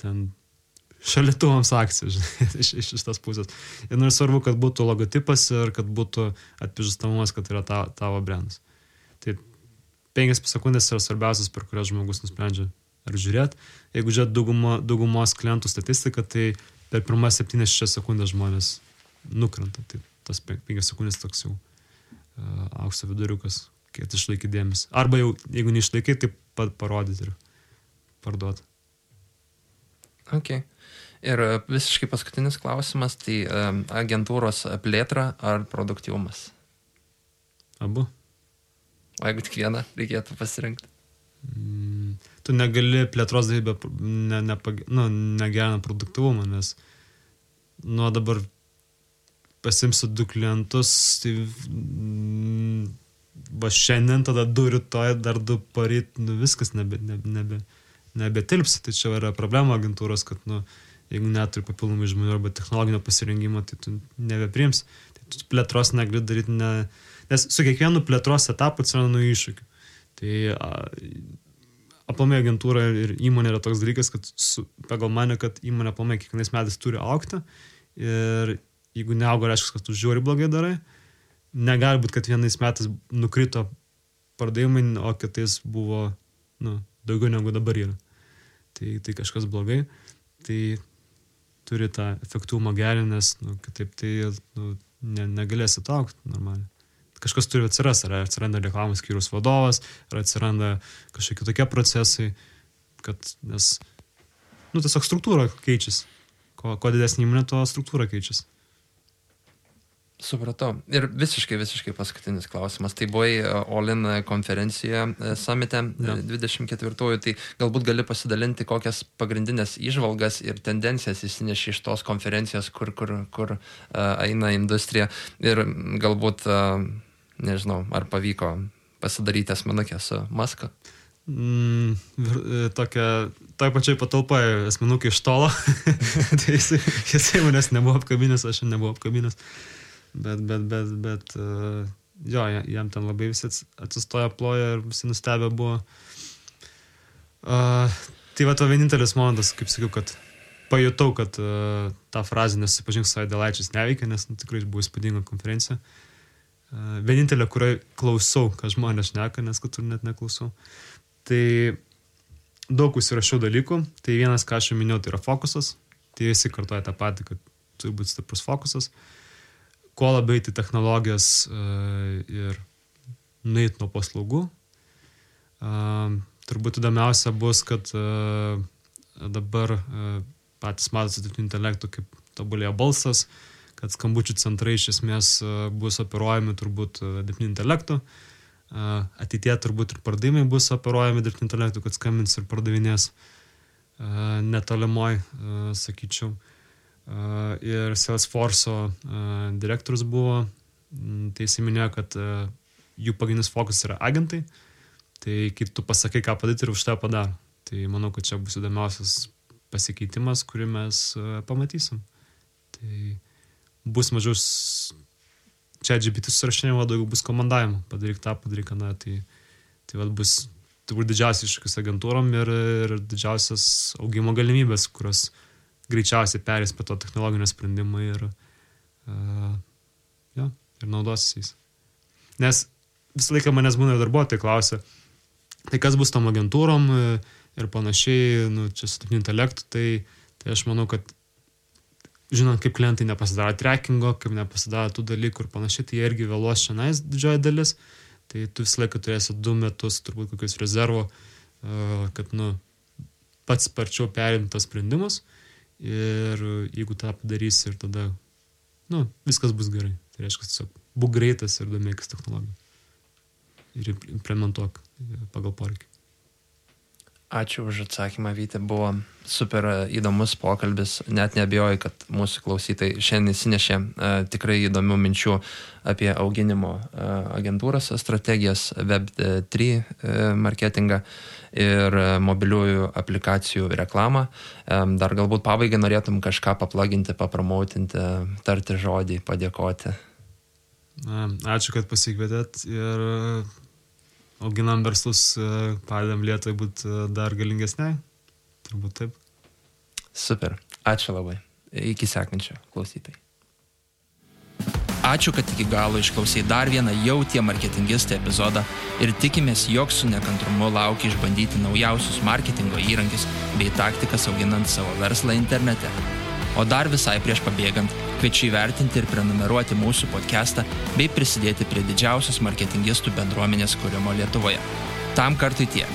ten šalituvams akcija, žinai, iš tas pusės. Ir svarbu, kad būtų logotipas ir kad būtų atpažįstamumas, kad yra tavo brandas. Tai 5 sekundės yra svarbiausias, per kurias žmogus nusprendžia ar žiūrėti. Jeigu žiūrėt daugumos klientų statistiką, tai per pirmas 7-6 sekundės žmonės nukrenta. Tai tas 5 sekundės toks jau aukso viduriukas, kai išlaikyti dėmesį. Arba jau, jeigu neišlaikai, tai parodyti ir parduoti. Ok. Ir visiškai paskutinis klausimas, tai agentūros plėtra ar produktyvumas? Abu. O jeigu tik vieną reikėtų pasirinkti? Tu negali plėtros daryti negerina produktyvumą, nes dabar pasimsiu 2 klientus, tai va šiandien, tada 2 rytoj, dar 2 paryt, viskas nebetilpsi. Tai čia yra problema agentūros, kad jeigu neturi papildomai žmonių arba technologinio pasirengimo, tai tu nebepriims. Tai tu plėtros negali daryti, nes su kiekvienu plėtros etapu atsiranda naujų iššūkių. Tai aplamai agentūra ir įmonė yra toks dalykas, kad pagal mane, kad įmonė aplamai kiekvienais metais turi augti ir jeigu neauga, reiškia, kad tu žiūri blogai darai, negali būti, kad vienais metais nukrito pardavimai, o kitais buvo daugiau negu dabar yra. Tai kažkas blogai. Tai turi tą efektyvumą gerinti, nes kitaip tai negalėsi augti normaliai. Kažkas turi atsirasti, ar atsiranda reklamos skyriaus vadovas, ar atsiranda kažkokie tokie procesai, nes tiesiog struktūra keičiasi. Kuo didesnė įmonė, to struktūra keičiasi. Supratau. Ir visiškai paskutinis klausimas. Tai buvai All-in konferencijoje Summite 24-ųjų, tai galbūt gali pasidalinti, kokias pagrindinės įžvalgas ir tendencijas įsineši iš tos konferencijos, kur eina industrija ir galbūt, nežinau, ar pavyko pasidaryti asmenukę su Musku? Toj pačiai patalpoje asmenukę iš tolo. Tai jisai manęs nebuvo apkabinęs, aš nebuvau apkabinęs. Bet jam ten labai visi atsistoja, ploja ir visi nustebę buvo. Tai to vienintelis momentas, kaip sakiau, kad pajutau, kad tą frazę nesusipažink su Aidėlaičiais neveikia, nes tikrai buvo įspūdinga konferencija. Vienintelė, kuriai klausau, ką žmonės šneka, nes kitur net neklausau. Tai daug užsirašiau dalykų. Tai vienas, ką aš jau minėjau, tai yra fokusas. Tai visi kartuoja tą patį, kad turi būti stiprus fokusas. Kuo labai tai technologijas ir nueit nuo paslaugų. Turbūt įdomiausia bus, kad dabar patys matosi dirbtinio intelekto, kaip tobulėja balsas, kad skambučių centrai iš esmės bus operuojami turbūt dirbtinio intelektu. Ateityje turbūt ir pardavimai bus operuojami dirbtinio intelektu, kad skambins ir pardavinės netolimoj, sakyčiau. Ir Salesforce'o direktorius buvo, tai jis minėjo, kad jų pagrindinis fokus yra agentai, tai kaip tu pasakai, ką padaryti ir už tai padaro. Tai manau, kad čia bus įdomiausias pasikeitimas, kurį mes pamatysim. Tai bus mažiau ChatGPT susirašinėjimo, daugiau bus komandavimo, padaryk tą, padaryk aną, tai bus turbūt didžiausias iššūkis agentūrom ir didžiausias augimo galimybės, kurios greičiausiai perės prie to technologinio sprendimo ir naudosis jais. Nes visą laiką manęs būna darbuotojai klausia, tai kas bus tom agentūrom ir panašiai, čia su dirbtiniu intelektu, tai aš manau, kad žinant, kaip klientai nepasidaro trackingo, kaip nepasidaro tų dalykų ir panašiai, tai jie irgi vėluos šiandien didžioji dalis, tai tu visą laiką turėsi 2 metus, turbūt kokius rezervo, kad pats sparčiau perimti tos sprendimus. Ir jeigu tą padarysi ir tada viskas bus gerai. Tai reiškia, tiesiog būk greitas ir domėkis technologiją ir implementuok pagal poreikį. Ačiū už atsakymą, Vyti, buvo super įdomus pokalbis, net neabejoju, kad mūsų klausytojai šiandien įsinešė tikrai įdomių minčių apie auginimo agentūros strategijas, Web3 marketingą ir mobiliųjų aplikacijų reklamą. Dar galbūt pabaigai norėtum kažką paplaginti, papromautinti, tarti žodį, padėkoti. Ačiū, kad pasikvietėt ir auginam verslus, padedam Lietuvai būti dar galingesniai. Turbūt taip. Super. Ačiū labai. Iki sekančio klausytojai. Ačiū, kad iki galo išklausai dar vieną jau tie marketingistai epizodą ir tikimės, jog su nekantrumu laukia išbandyti naujausius marketingo įrankius bei taktikas auginant savo verslą internete. O dar visai prieš pabėgant, kviečiu įvertinti ir prenumeruoti mūsų podcastą bei prisidėti prie didžiausios marketingistų bendruomenės kūrimo Lietuvoje. Tam kartui tiek.